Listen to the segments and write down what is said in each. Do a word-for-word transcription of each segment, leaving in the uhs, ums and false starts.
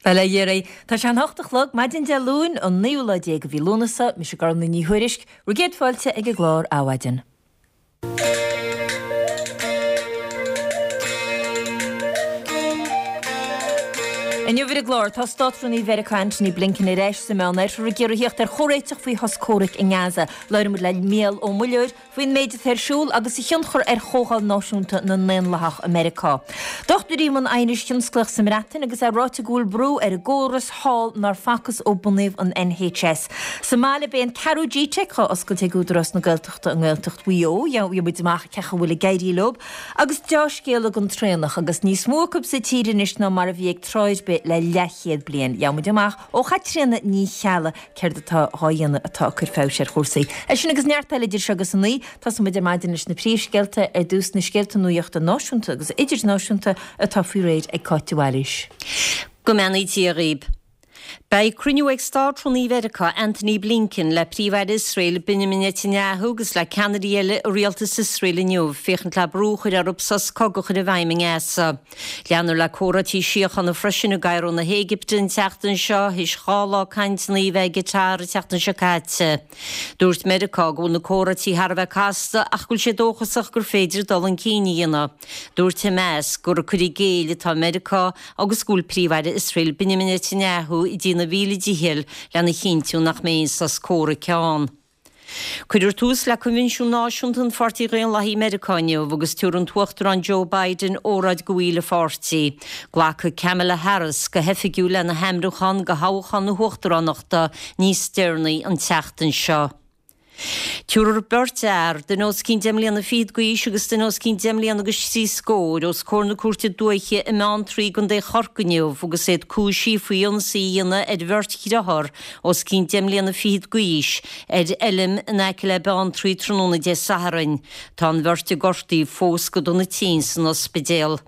Bail ó Dhia oraibh. Tá sé an hocht a chlog, maidin Dé Luain, an naoú lá déag de mhí Lúnasa, mise Gormlaith Ní Thuairisg, bhur gcéad fáilte ag an gclár Adhmhaidin. Inniu ar an gclár, tá Státrúnaí Mheiriceá Antony Blinken ar ais sa Meánoirthear ag iarraidh theacht ar chomhréiteach faoi shos comhraic i nGaza. Labhróidh muid le Mícheál Ó Muilleoir faoin méid atá ar siúl agus a thionchar ar Chomhdháil Náisiúnta na nDaonlathach i Meiriceá. Dochtúirí i mbun aighnis thionsclaíoch sa mBreatain agus é ráite go bhfuil brú ar an gcóras thall nár facthas ó bunaíodh an NHS. Sa mbaile beidh an ceathrú G-Teic á oscailt ag Údarás na Gaeltachta i nGaeltacht Mhaigh Eo. Gheobhaidh muid amach cén chaoi a bhfuil ag éirí leo. Agus deá-scéala don traonach agus níos mó acu sa tír anois ná mar a bhí ag tráth ar bith le leathchéad bliain. Gheobhaidh muid amach ó Chaitríona Ní Cheallaigh céard atá dhá dhéanamh atá ag cur feabhais ar chúrsaí. É sin agus neart eile idir seo agus a naoi, tosóidh muid ar maidin leis na príomhscéalta, ar dtús na scéalta nuachta náisiúnta agus idirnáisiúnta atá faoi réir ag Cáit de Bhailís. Go mbeannaí Dia dhaoib. Beidh cruinniú ag Státrúnaí Mheiriceá Antony Blinken le Príomh-Aire Iosrael Benjamin Netanyahu agus le ceannairí eile i rialtas Iosrael inniu féachaint le brú a chur orthu sos cogaidh a chur i bhfeidhm i nGaza. Leanfar le comhráití síochána freisin i gCairo na hÉigipte an tseachtain seo, théis dhá lá cainteanna a bheith i gCatar an tseachtain seo caite. Dúirt Meiriceá go bhfuil na comhráití thar a bheith casta ach go bhfuil sé dóchasach gur féidir dul chun cinn a dhéanamh. Dúirt Hamas gur ag cur i gcéill atá Meiriceá agus go bhfuil Príomh-Aire Iosrael Benjamin Netanyahu ag déanamh a mhíle dícheall lena chinntiú nach mbeidh aon sos comhraic ann. Cuirfear tús le Coinbhinsiún Náisiúnta an Pháirtí Dhaonlathaigh i Meiriceá inniu agus tabharfaidh an tUachtarán Joe Biden óráid go bhaill an pháirtí. Glacfaidh Kamala Harris go hoifigiúil lena hainmniúchán do thoghchán na huachtaránachta níos deireanaí an tseachtain seo. Tabharfar beirt fhear, duine os cionn deich mbliana fichead d'aois agus duine os cionn deich mbliana agus trí scór, os comhair na Cúirte Dúiche i mBeanntraí i gContae Chorcaí inniu agus iad cúisithe faoi ionsaí a dhéanamh ar bheirt dhearthár os cionn deich mbliana fichead d'aois ar fheilm in aice le Beanntraí tráthnóna Dé Sathairn. Tá an bheirt gortaithe fós go dona tinn san ospidéal.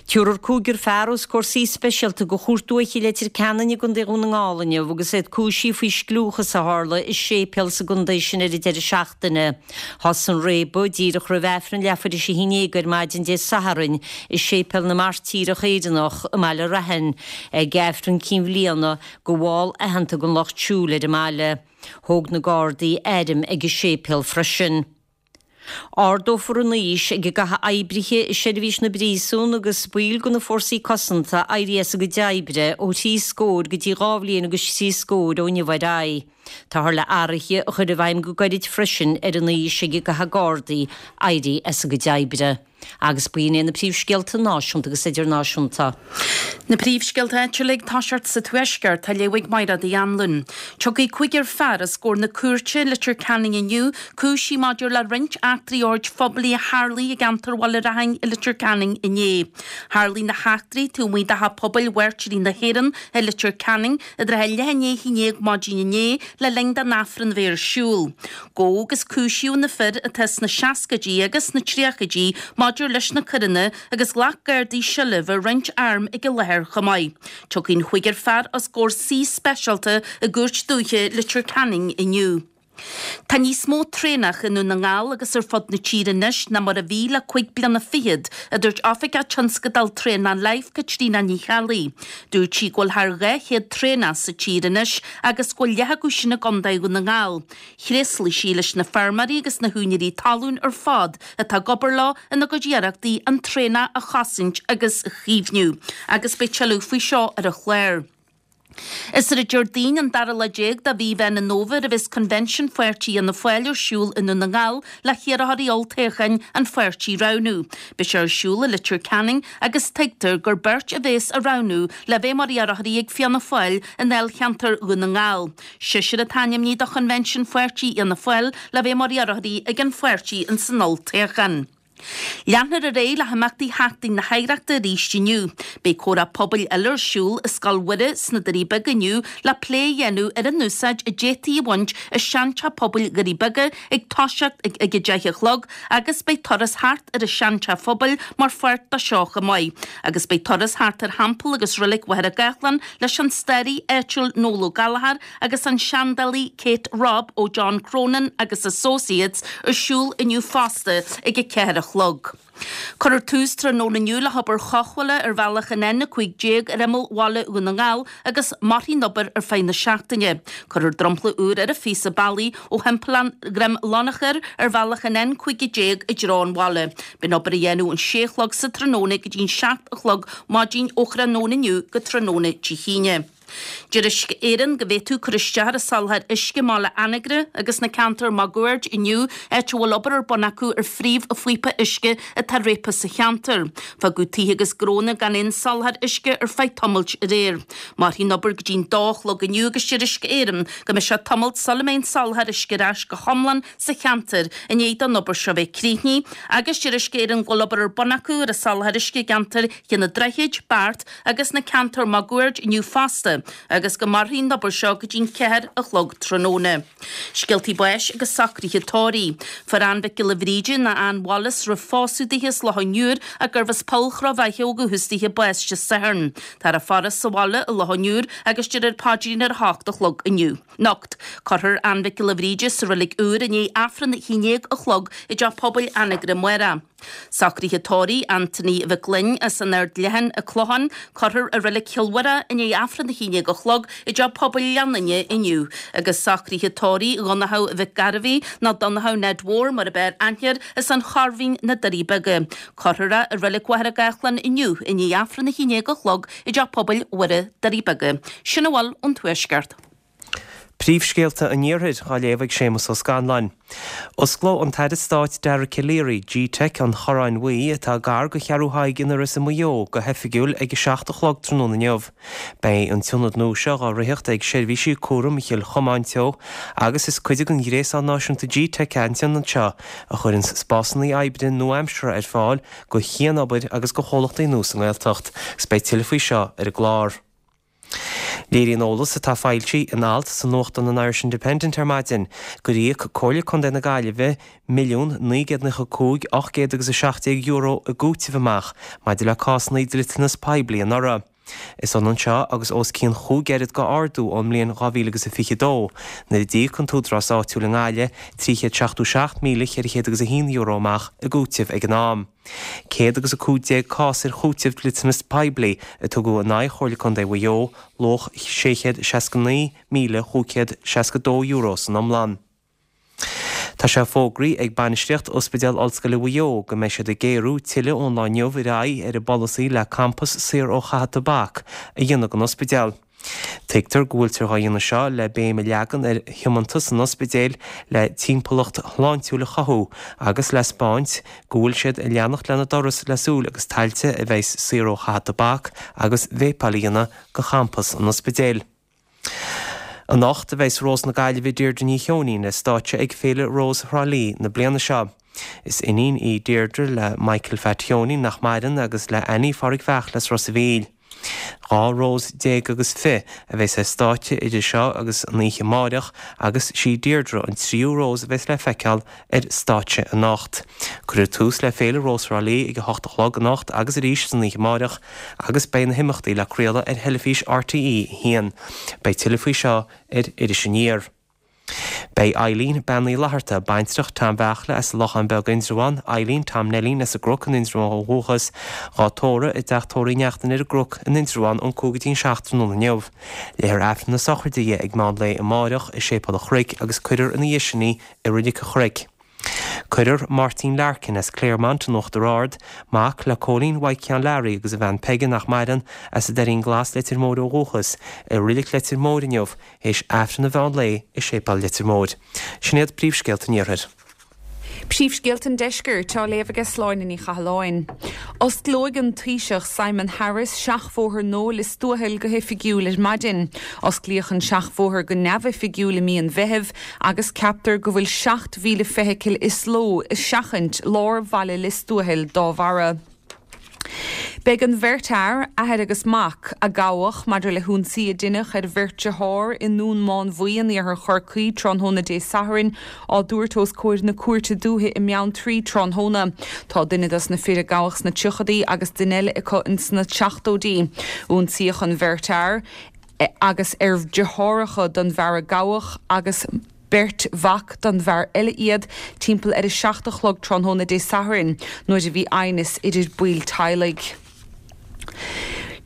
Tabharfar cúigear fear os comhair suí speisialta de Chúirt Dúiche Leitir Ceanainn i gContae Dhún na nGall inniu agus iad cúisithe faoi scliúchas a tharla i séipéal sa gcontae sin ar an deireadh seachtaine. Thosaigh an réabadh díreach roimh Aifreann leathuair tar éis a haon déag ar maidin Dé Sathairn i Séipéal na Mairtíreach Éireannach i mBaile Raithin ag Aifreann Cinn Bhliana do bhall aitheanta den Lucht Siúil ar an mbaile. Thóg na Gardaí airm ag an séipéal freisin. Ardófar an aois ag a gcaithfidh oibrithe i seirbhís na bpríosún agus baill de na fórsaí cosanta éirí as a gcuid oibre ó thrí scór go dtí dhá bhliain agus trí scór ó inniu ar aghaidh. Táthar le athruithe a chur i bhfeidhm go gairid freisin ar an aois ag a gcaithfidh Gardaí éirí as a gcuid oibre. Agus b'in iad na príomhscéalta náisiúnta agus idirnáisiúnta. Na príomhscéalta áitiúla ag toiseacht sa Tuaisceart, á léamh ag Mairéad Uí Anluain. Tiocfaidh cúigear fear os comhair na cúirte i Leitir Ceanainn inniu, cúisithe maidir le roinnt eachtraí oird phoiblí a tharlaigh i gceantar Bhaile Raithin i Leitir Ceanainn inné. Tharlaigh na heachtraí taobh amuigh de Theach Pobail Mhairtírí na hÉireann i Leitir Ceanainn i dtrátha leath i ndiaidh a haon déag maidin inné le linn don Aifreann a bheith ar siúl. Gabhadh agus cúisíodh na fir atá sna seascaidí agus sna tríochaidí maidir leis na coireanna agus ghlac Gardaí seilbh ar roinnt arm ag an láthair chomh maith. Tiocfaidh an chúigear fear os comhair suí speisialta i gCúirt Dúiche Leitir Ceanainn inniu. Tá níos mó traonach i nDún na nGall agus ar fud na tíre anois ná mar a bhí le cúig bliana fichead, a dúirt Oifigeach Tionscadail Traonach Life, Caitríona Ní Cheallaigh. Dúirt sí go bhfuil thar dhá chéad traonach sa tír anois agus go bhfuil leath acu sin i gContae Dhún na nGall. Thréaslaigh sí leis na feirmeoirí agus na húinéirí talún ar fad atá ag obair leo ina gcuid iarrachtaí an traonach a chosaint agus a chaomhnú agus beidh tuilleadh faoi seo ar an chlár. Is ar an Déardaoin an dara lá déag de mhí Mheán an Fhómhair a bheas Convention Pháirtí Fhianna Fáil ar siúl i nDún na nGall le hiarrthóirí olltoghcháin an pháirtí a roghnú. Beidh sé ar siúl i Leitir Ceanainn agus tuigtear gur beirt a bheas á roghnú le bheith mar iarrthóirí ag Fianna Fáil i ndáilcheantar Dhún na nGall. Seisear atá ainmnithe do Choinbhinsiún Pháirtí Fhianna Fáil le bheith mar iarrthóirí ag an pháirtí ins an olltoghchán. Leanfar ar aghaidh le himeachtaí Sheachtain na hOidhreachta arís inniu. Beidh comhrá pobail eile ar siúl i Scoil Mhuire sna Doirí Beaga inniu le plé a dhéanamh ar an úsáid a d'fhéadfaí a bhaint as seanteach pobail Dhoirí Beaga ag toiseacht ag a deich a chlog agus beidh turas thart ar an seanteach phobail mar pháirt de seo chomh maith. Agus beidh turas thart ar Theampall agus Reilig Mhachaire Gathlán leis an staraí áitiúil Noel Ó Gallchóir agus an seandálaí Kate Robb ó John Cronin agus Associates ar siúl inniu fosta ag a ceathair a a chlog. Cuirfear tús tráthnóna inniu le hobair chothabhála ar bhealach an N a cúig déag ar imeall bhaile Dhún na nGall agus mairfidh an obair ar feadh na seachtaine. Cuirfear dromchla úr ar an phíosa bealaigh ó thimpeallán Dhroim Lonachair ar bhealach an N cúig déag i dtreo an bhaile. Beidh an obair á dhéanamh ón sé a chlog sa tráthnóna go dtí an seacht a chlog maidin ó thráthnóna inniu go tráthnóna Dé hAoine. Deir Uisce Éireann go bhféadfadh cur isteach ar an soláthar uisce i mBaile Anagaire agus na ceantair máguaird inniu áit a bhfuil obair ar bun acu ar phríomhphíopa uisce atá réabtha sa cheantar. Fágadh tithe agus gnónna gan aon soláthar uisce ar feadh tamaill aréir. Mairfidh an obair go dtí'n dó a chlog inniu agus deir Uisce Éireann go mbeidh sé tamall sula mbeidh an soláthar uisce ar ais go hiomlán sa cheantar i ndiaidh don obair seo bheith críochnaithe agus deir Uisce Éireann go bhfuil obair ar bun acu ar an soláthar uisce i gceantar Ché na Droichid, Beart agus na ceantair máguaird inniu fosta. agus go mairfidh an obair seo go dtí'n ceathair a chlog tráthnóna. Scéaltaí báis agus socruithe tórraimh. Fuair Ann Mhic Giolla Bhríde nó Ann Wallace roimh phósadh dithe as Loch an Iúir ach gurbh as Poll Chró Bheithe ó dhúchas dithe bás Dé Sathairn. Táthar á faire sa bhaile i Loch an Iúir agus déarfar paidrín ar a hocht a chlog inniu. Anocht. Cuirfear Ann Mhic Giolla Bhríde sa reilig úr i ndiaidh Aifreann a haon déag a chlog i dteach pobail Anagaire amárach. Socruithe tórraimh Anthony Mhic Gloinn as an Aird Leathain, an Clochán, cuirfear i reilig Chill Mhuire i ndiaidh Aifreann a haon déag a chlog i dteach pobail Leanainne inniu, agus socruithe tórraimh Dhonnchadh Mhic Gairbhí, nó Donnchadh Ned Mhór mar ab fhearr aithne air, as an Chorrmhín, na Doirí Beaga. Cuirfear é i reilig Mhachaire Gathlán inniu i ndiaidh Aifreann a haon déag a chlog i dteach pobail Mhuire, Doirí Beaga. Sin a bhfuil ón Tuaisceart. Príomhscéalta an Iarthair á léamh ag Séamus Ó Scanláin. Osclóidh an tAire Stáit Dara Calleary G-Teic an Chorráin Bhuí, atá gar do Cheathrú Thaidhg in Iorras i Maigh Eo, go hoifigiúil ag a seacht a chlog tráthnóna inniu. Beidh an t-ionad nua seo á ritheacht ag Seirbhísí Cúraim Chill Chomáin Teo agus is cuid den ghréasán náisiúnta G-Teic é an t-ionad seo a chuireann spásanna oibre nua-aimseartha ar fáil do chianobair agus do chomhlachtaí nua sa nGaeltacht agus beidh tuilleadh faoi seo ar an gclár. Léiríonn eolas atá foilsithe in alt sa nuachtán an Irish Independent ar maidin gur íoc Comhairle Contae na Gaillimhe milliún naoi gcéad nócha cúig ocht gcéad agus a seacht déag euro i gcúiteamh amach maidir le cásanna dliteanas poiblí anuraidh. Is ionann seo agus os cionn chúig oiread de ardú ón mbliain dhá mhíle agus a fiche dó, nuair a d'íoc an t-údarás áitiúil i nGaillimh trí chéad seachtó seacht míle ceithre chéad agus a haon euro amach i gcúiteamh ag an am. Céad agus a cúig déag cás ar chúiteamh dliteanas poiblí a tugadh in aghaidh Chomhairle Contae Mhaigh Eo, luach sé chéad seasca naoi míle chúig chéad seasca dó euro san iomlán. Tá sé fógraithe ag bainistíocht Ospidéal Ollscoile Mhaigh Eo go mbeidh siad ag géarú tuilleadh ón lá inniu ar aghaidh ar an bpolasaí le campas saor ó chaitheamh tobac a dhéanamh den ospidéal. Tuigtear go bhfuiltear dhá dhéanamh seo le béim a leagan ar thiomantas an ospidéil le timpeallacht shláintiúil a chothú agus le 'spáint go bhfuil siad ag leanacht lena dturas le súil agus tailte a bheas saor ó chaitheamh tobac agus véipeáil a dhéanamh de champas an ospidéil. Anocht a bheas Rós na Gaillimhe Deirdre Ní Cheoinín ar stáitse ag Féile Rós Thrá Lí na bliana seo. Is iníon í Deirdre le Michael Phat Cheoinín nach maireann agus le Annie Phádraig Bheachla as Ros a' Mhíl. Dhá rós déag agus fiche a bheas ar stáitse idir seo agus an oíche amáireach agus sí Deirdre an tríú rós a bheas le feiceáil ar stáitse anocht. Cuirfear tús le Féile Rós Thrá Lí ag a hocht a chlog anocht agus arís san oíche amáireach agus beidh na himeachtaí le craoladh ar theilifís RTÉ a haon. Beidh tuilleadh faoi seo ar Iris Aniar. Beidh Eileen Bean Uí Fhlatharta, baintreach Tom Bheachla as Lochán Beag Indreabhán, Eileen Tom Neilín as an gCnoc in Indreabhán ó dhúchas, dhá tórramh i dteach tórraimh Uí Neachtain ar an gCnoc in Indreabhán ón cúig go dtí an seacht tráthnóna inniu. Léifear Aifreann na sochraide di ag meán lae amáireach i Séipéal an Chnoic agus cuirfear ina dhiaidh sin í i Reilig an Chnoic. Cuirfear Máirtín Larkin as Claremont in Uachtar Ard, mac le Cóilín Mhaidhc Sheáin Learaí agus a bhean Peige nach maireann, as an Doirín Glas Leitir Móir ó dhúchas, i Reilig Leitir Móir inniu, théis Aifreann an mheán lae i Séipéal Leitir Móir. Sin iad príomhscéalta an Iarthair. Príomhscéalta an Deiscirt á léamh aige Sláine Ní Chathalláin. Osclóidh an Taoiseach Simon Harris seachbhóthar nua Lios Tuathail go hoifigiúil ar maidin. Osclaíodh an seachbhóthar go neamhoifigiúil i mí an Mheithimh agus ceaptar go bhfuil seacht mhíle feithicil is ló ag seachaint lár bhaile Lios Tuathail dá bharra. Beidh an bheirt fhear, athair agus mac, a gabhadh maidir le hionsaí a deineadh ar bheirt dearthár i nDún Mánmhaí in iarthar Chorcaí tráthnóna Dé Sathairn á dtabhairt os comhair na Cúirte Dúiche i mBeanntraí tráthnóna. Tá duine dos na fir a gabhadh sna tríochaidí agus duine eile acu ins na seachtóidí. Ionsaíodh an bheirt fhear agus ar deartháireacha don bhfear a gabhadh agus beirt mhac don bhfear eile iad, timpeall ar a seacht a chlog tráthnóna Dé Sathairn, nuair a bhí aighneas idir baill teaghlaigh.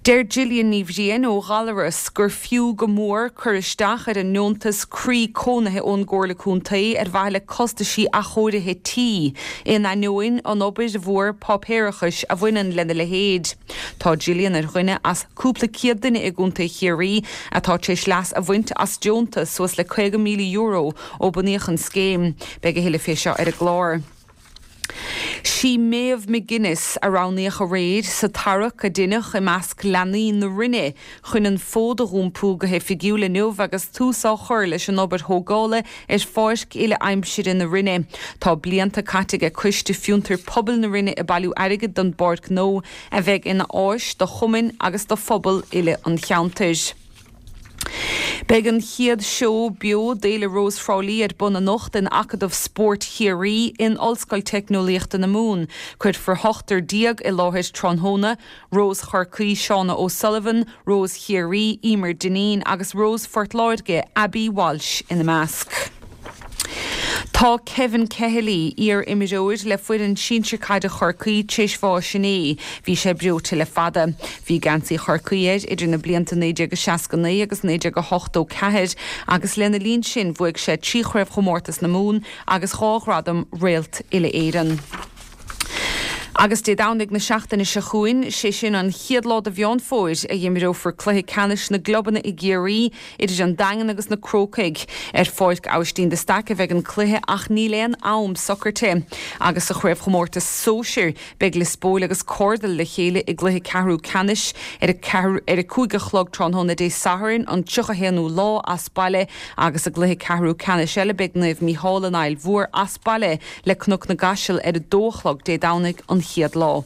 Deir Gillian Ní Bhriain ó Ghallaras gur fiú go mór cur isteach ar an ndeontas croí cónaithe ón gComhairle Contae ar mhaithe le costaisí athchóirithe tí, in ainneoin an obair mhór páipéarachais a bhaineann lena leithéid. Tá Gillian ar dhuine as cúpla céad duine i gContae Chiarraí atá tar éis leas a bhaint as deontas suas le caoga míle euro ó bunaíodh an scéim. Beidh a thuilleadh fé seo ar an gclár. Sí Méabh McGuinness a roghnaíodh aréir sa tarrac a deineadh i measc leanaí na Rinne chun an fód a dh'iompú go hoifigiúil inniu agus tús á chur leis an obair thógála ar pháirc uile-aimsire na Rinne. Tá blianta caite aige Coiste Fiontar Pobail na Rinne ag bailiú airgid don bpáirc nua a bheidh ina áis do chumainn agus do phobal uile an cheantair. Beidh an chéad seó beo d'Fhéile Rós Thrá Lí ar bun anocht in Acadamh Spóirt Chiarraí in Ollscoil Teicneolaíochta na Mumhan. Cuirfear ochtar déag i láthair tráthnóna, Rós Chorcaí Shauna O'Sullivan, Rós Chiarraí Emer Dineen agus Rós Phort Láirge Abby Walsh ina measc. Tá Kevin Kehilly, iar-imreoir le foireann sinsir caide Chorcaí, tar éis bháis inné. Bhí sé breoite le fada. Bhí geansaí Chorcaí air idir na blianta naoi déag a seasca naoi agus naoi déag a hochtó ceathair agus lena linn sin bhuaigh sé trí Chraobhchomórtas na Mumhan agus dhá ghradam Réalt Uile-Éireann. Agus Dé Domhnaigh na seachtaine seo chugainn, sé sin an chéad lá de Mheán Fómhair, a imreofar cluiche ceannais na gclubanna i gCiarraí idir an Daingean agus na Crócaigh. Ar Pháirc Aibhistín de Staic a bheidh an cluiche ach níl aon am socraithe. Agus sa chraobhchomórtas sóisir, beidh Lios Póil agus Cordal le chéile i gcluiche ceathrú ceannais ar a ar a cúig a chlog tráthnóna Dé Sathairn, an tríocha haonú lá, as baile agus i gcluiche ceathrú ceannais eile beidh Naomh Mícheál an Aill Mhór as baile le Cnoc na gCaiseal ar a dó a chlog Dé Domhnaigh an chéad lá.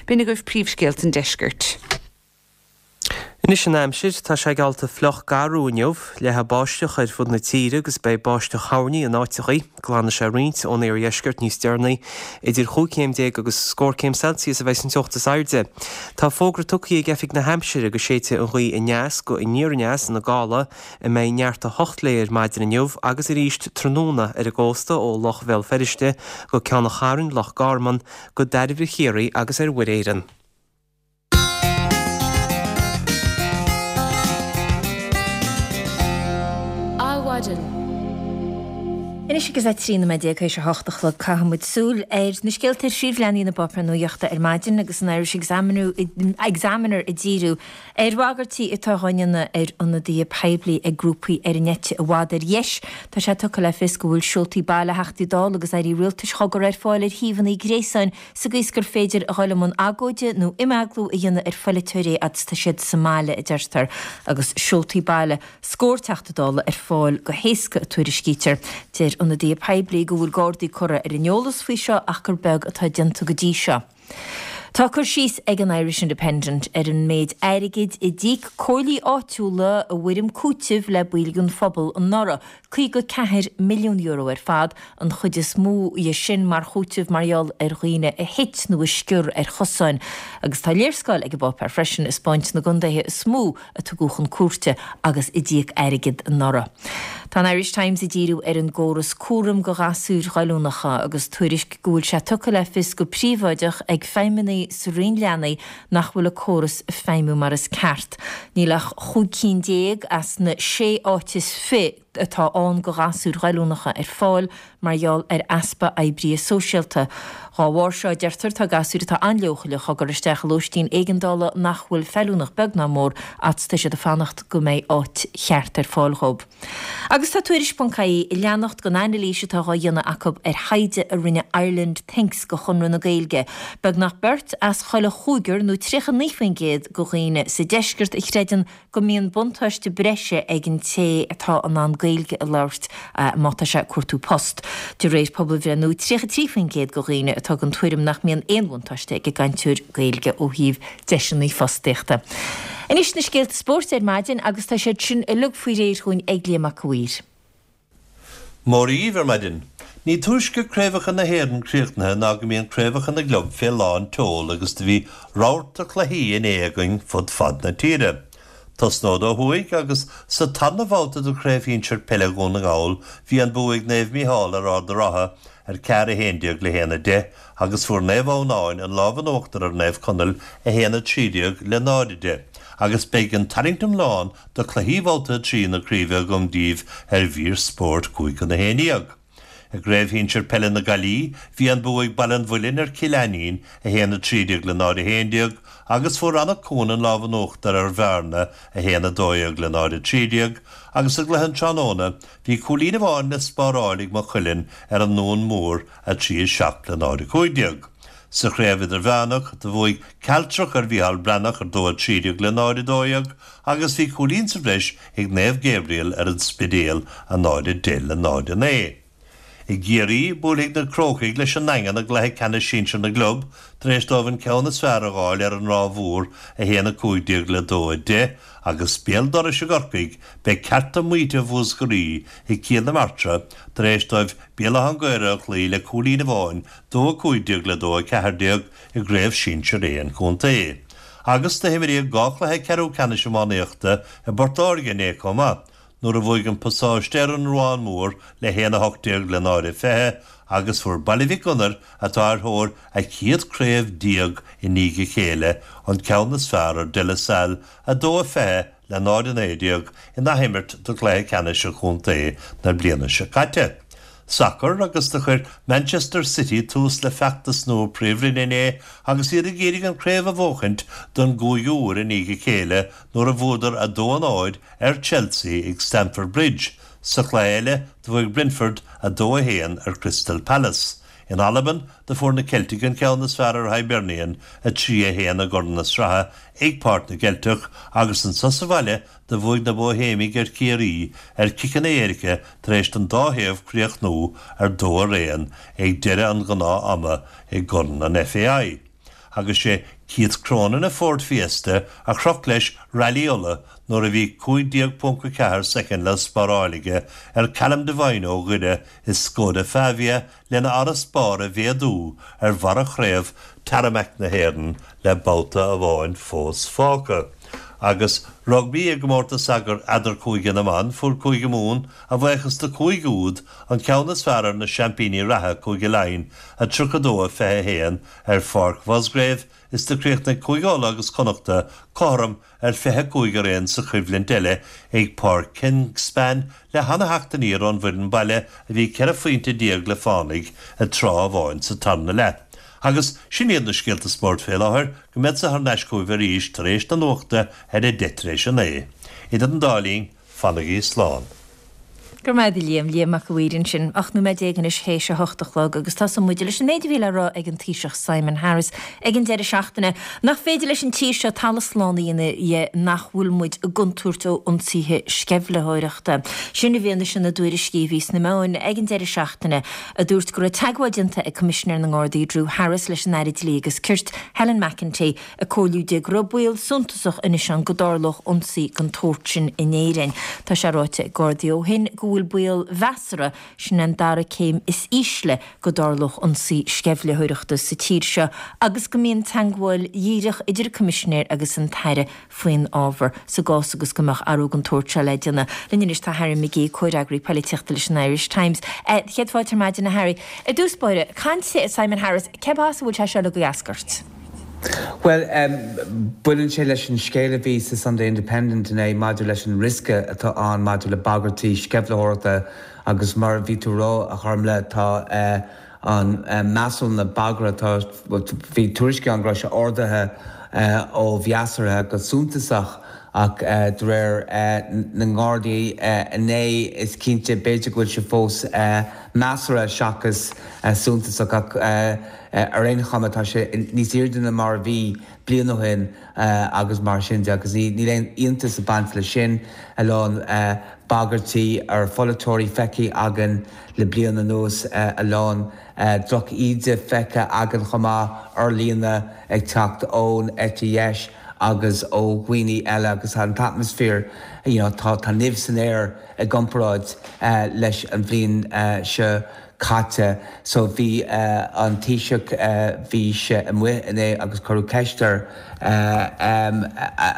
B'in agaibh príomhscéalta an deiscirt. Anois an aimsir, tá sé geallta fliuch garbh inniu, leathfaidh báisteach ar fud na tíre agus beidh báisteach thoirní in áiteachaí. Glanfaidh sé roinnt ón iardheisceart níos deireanaí. Idir chúig chéim déag agus scór céim Celsius a bheidh an teocht is airde. Tá fógra tugtha ag Oifig na hAimsire go séidfidh an ghaoth aneas go aniar aneas na gála a mbeidh neart a hocht léi ar maidin inniu agus arís tráthnóna ar an gcósta ó Loch Bhéal Feirste go Ceann an Chairn, Loch Garman, go Dairbhre Chiarraí agus ar Mhuir Éireann. Adhmhaidin. Anois agus é trí nóiméad déag théis a hocht a chlog caithfidh muid súil ar na scéalta ar phríomhleathanaigh na bpáipéar nuachta ar maidin agus an Irish Examiner ag díriú ar bhagairtí atá á ndéanamh ar ionadaithe poiblí ag grúpaí ar an eite i bhfad ar dheis. Tá sé tugtha le fios go bhfuil seoltaí baile Theachtaí Dála agus Airí Rialtais á gcur ar fáil ar shuíomhanna gréasáin sa gcaoi is gur féidir a dhul i mbun agóide nó imeaglú a dhéanamh ar pholaiteoirí fhad is tá siad sa mbaile, a deirtear, agus seoltaí baile scór Teachta Dála ar fáil go héasca, a tuairiscítear. Deir ionadaithe poiblí go bhfuil Gardaí curtha ar an eolas faoi seo ach gur beag atá déanta go dtí seo. Tá cur síos ag an Irish Independent ar an méid airgid a d'íoc comhairlí áitiúla i bhfoirm cúitimh le baill den phobal anuraidh, caoga ceathair milliún euro ar fad, an chuid is mó dhe sin mar chúiteamh mar gheall ar dhaoine a thit nó a sciorr ar chosáin. Agus tá léarscáil ag an bpáipéar freisin ag 'spáint na gcontaetha is mó a tugadh chun cúirte agus a d'íoc airgead anuraidh. Tá an Irish Times ag díriú ar an gcóras cúraim do ghasúir ghoilliúnacha agus tuairisc go bhfuil sé tugtha le fios go príobháideach ag feidhmeannaigh sa Roinn Leanaí nach bhfuil an córas ag feidhmiú mar is ceart. Níl ach chúig cinn déag as na sé áit is fiche atá ann do ghasúir ghoilliúnacha ar fáil mar gheall ar easpa oibrithe sóisialta. Dhá bharr seo, a deirtear, tá gasúir atá an-leochaileach á gcur isteach i lóistín éigeandála nach bhfuil feiliúnach beag ná mór fhad is tá siad ag fanacht go mbeidh áit cheart ar fáil dhóibh. Agus tá Tuairisc ponc ie ag leanacht den anailís atá dhá dhéanamh acu ar thaighde a rinne Ireland Thinks do Chonradh na Gaeilge. Beagnach beirt as chuile chúigear nó tríocha naoi faoin gcéad de dhaoine sa deisceart a chreideann go mbíonn buntáiste breise ag an té atá in ann Gaeilge a labhairt má tá sé ag cuartú post. De réir pobalbhreith nua, tríocha trí faoin gcéad de dhaoine atá den tuairim nach mbíonn aon bhuntáiste ag an gcainteoir Gaeilge ó thaobh deiseanna fostaíochta. Anois na scéalta spóirt ar maidin agus tá siad sin uilig faoi réir chugainn ag Liam Mac a' Mhaoir. Móra dhíbh ar maidin. Ní túisce craobhacha na hÉireann críochnaithe ná go mbíonn craobhacha na gclub fé lán tseoil agus do bhí rabharta cluichí inné againn fud fad na tíre. Tosnód ó thuaidh agus sa tarna babhta de Chraobh Shinsir Peile Dhún na nGall bhí an bua ag Naomh Mícheál ar Ard an Rátha ar ceathair a haon déag le haon a deich agus fuair Naomh Adhamhnáin an lámh in uachtar ar Naomh Conaill a haon a trí déag le náid a deich agus beidh an tarraingt iomlán do chluichí bhabhta a trí na craoibhe agam daoibh ar mhír spóirt cúig chun a haon déag. I gCraobh Shinsir Peile na Gaillimhe, bhí an bua ag Baile an Mhuilinn ar Chill Ainnín, a haon a trí déag le náid a haon déag, agus fuair Anach Cuain an lámh in uachtar ar Bhearna, a haon a dó dhéag le náid a trí déag, agus i gcluiche an tráthnóna, bhí cúilín amháin le spáráil ag Maigh Cuilinn ar an nDún Mór, a trí a seacht le náid a cúig déag. Sa Chraobh Idirmheánach, do bhuaigh Cealtrach ar Mhícheál Breathnach ar dó a trí déag le náid a dó dhéag agus bhí cúilín sa bhreis ag Naomh Gabriel ar an Spidéal, a náid a deich le náid a naoi. I gCiarraí, buailfidh na Crócaigh leis an nDaingean i gcluiche ceannais sinsir na gclub tar éis dóibh an ceann is fearr a dh'fháil ar an Ráth Mhór, a haon a cúig déag le dó a deich, agus béal dorais i gCorcaigh, beidh cearta maíte Mhúscraí i gCill na Martra tar éis dóibh Béal Átha an Ghaorthaidh a chloí le cúilín amháin, dó a cúig déag le dó a ceathair déag, i gCraobh Shinsir A an chontae. Agus do himríodh dhá chluiche ceathrú ceannais iománaíochta i bPort Láirge inné chomh maith, nuair a bhuaigh an Pasáiste ar an Ruán Mór le haon a hocht déag le náid a fiche agus fuair Baile Mhic Gonair, atá ar thóir a chéad chraobh déag i ndiaidh a chéile, an ceann is fearr ar De La Salle, a dó a fiche le náid a naoi déag, in athimirt do chluiche ceannais an chontae na bliana seo caite. Sacar agus do chuir Manchester City tús le feachtas nua Príomhroinne inné agus iad ag iarraidh an chraobh a bhuachaint don gcúigiú huair i ndiaidh a chéile nuair a bhuadar a dó a náid ar Chelsea ag Stamford Bridge. Sa chluiche eile do bhuaigh Brentford a dó a haon ar Crystal Palace. In Albain do fuair na Ceiltigh an ceann is fearr ar Hibernian a trí a haon i gCorn na Sraithe ag Páirc na gCeilteach agus anso sa bhaile do bhuaigh na Bóihéimigh ar Chiarraí ar chiceanna éirice tar éis don dá thaobh críochnú ar dó araon ag deireadh an ghnáth-ama i gCorn an FAI. Agus sé Keith Cronin i Ford Fiesta a chroch leis Railí Uladh nuair a bhí cúig déag ponc a ceathair soicind le spáráil aige ar Callum Devine ó Dhoire i Skoda Fabia lena fharasbarr a mhéadú ar bharra chraobh Tarmac na hÉireann le babhta amháin fós fágtha. Agus rugbaí i gcomórtas eadarchúige na mban, fuair Cúige Mumhan, a bhuíochas do chúig úd, an ceann is fearr ar na seaimpíní reatha, Cúige Laighean, a tríocha dó a fiche a haon ar Pháirc Mhusgrave is do chríochnaigh Cúige Uladh agus Connachta cothrom ar fiche cúig araon sa choimhlint eile ag Páirc Kingspan le hana-theacht aniar ón bhfoireann baile a bhí ceithre phointe déag le fánaidh ag tráth amháin sa tarna leath. Agus sin iad na scéalta spóirt fé láthair, go mbeadsa thar n-ais chugaibh arís tar éis na nuachta ar a deich tar éis a naoi. Idir an dá linn, fanaigí slán. Go raibh maith agat a Liam, Liam Mac a' Mhaoir ansin. Ocht nóiméad déag anois théis a hocht a chlog agus tosóidh muid leis an méid a bhí le rá ag an Taoiseach Simon Harris ag an deireadh seachtaine. Nach féidir leis an tír seo talamh slán a dhéanamh dhe nach bhfuil muid i gcontúirt ó ionsaithe sceimhlitheoireachta. Sin i bhfianaise na dtuairiscí a bhí sna meáin ag an deireadh seachtaine a dúirt go raibh teagmháil déanta ag Coimisinéir na nGardaí Drew Harris leis an Aire Dlí agus Cirt Helen McEntee ag comhairliú di go raibh baol suntasach anois ann go dtarlódh ionsaí den tsórt sin in Éirinn. Tá sé ráite ag Gardaí ó shin go bhfuil baol mheasartha, sin an dara céim is ísle, go dtarlódh ionsaí sceimhlitheoireachta sa tír seo agus go mbíonn teagmháil dhíreach idir an Coimisinéir agus an tAire faoin ábhar sa gcás agus go mbeadh athrú den tsórt seo le déanamh. Linn anois tá Harry McGee, comhfhreagraí polaitíochta leis an Irish Times. Céad fáilte ar maidin a Harry. I dtús báire, caint Simon Harris, cé as a bhfuil sé seo ag eascairt? Bhuel, baineann sé leis an scéal a bhí sa Sunday Independent inné maidir leis an riosca atá ann maidir le bagairtí sceimhlitheoireachta agus mar a bhí tú a rá, a Ghormfhlaith, tá an measúnú na bagartha, tá, bhí tuairiscí ann go raibh sé ardaithe ó mheasartha go suntasach ach de réir na nGardaí inné is cinnte b'fhéidir go bhfuil sé fós measartha seachas suntasach ach ar aon chuma tá sé níos airde ná mar a bhí bliain ó shin agus mar sin de agus níl aon iontas ag baint leis sin. A lán bagairtí ar pholaiteoirí feicthe againn le bliain anuas, a lán droch-íde feicthe againn chomh maith ar líne ag teacht ón eite dheis agus ó dhaoine eile agus tá an t-atmaisféar, you know, tá tá nimh san aer i gcomparáid leis an bhliain seo caite. So bhí an Taoiseach, bhí sé amuigh inné agus cuireadh ceist air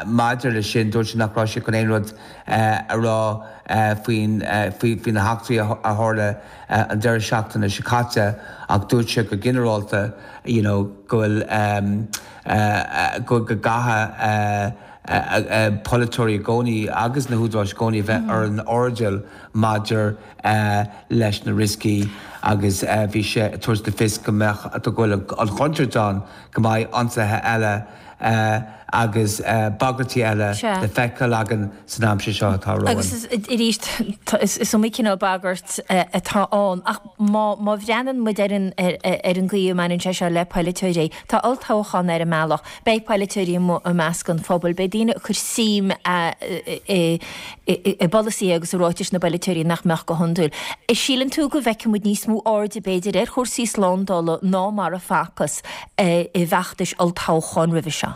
maidir leis sin. Dúirt sé nach raibh sé chun aon rud a rá faoin faoi na heachtraí a tharla an deireadh seachtaine seo caite ach dúirt sé go ginearálta you know go bhfuil go gcaithfidh polaiteoirí i gcónaí agus na húdaráis i gcónaí a bheith ar an airdeall maidir leis na rioscaí agus bhí sé ag tabhairt le fios go mbeadh, go bhfuil an chontúirt ann go mbeidh ionsaithe eile agus bagairtí eile le feiceáil againn san aimsir seo atá romhainn. Agus arís, is iomaí cineál bagairt atá ann ach má bhreathnaíonn muid ar an gcaoi a mbaineann sé seo le polaiteoirí, tá olltoghchán ar an mbealach, beidh polaiteoirí amuigh i measc an phobail, beidh daoine ag cur suim i bpolasaithe agus i ráitis na bpolaiteoirí nach mbeadh go hiondúil. Síleann tú go bhfeicfidh muid níos mó airde, b'fhéidir, ar chúrsaí slándála ná mar a facthas i bhfeachtais olltoghcháin roimhe seo?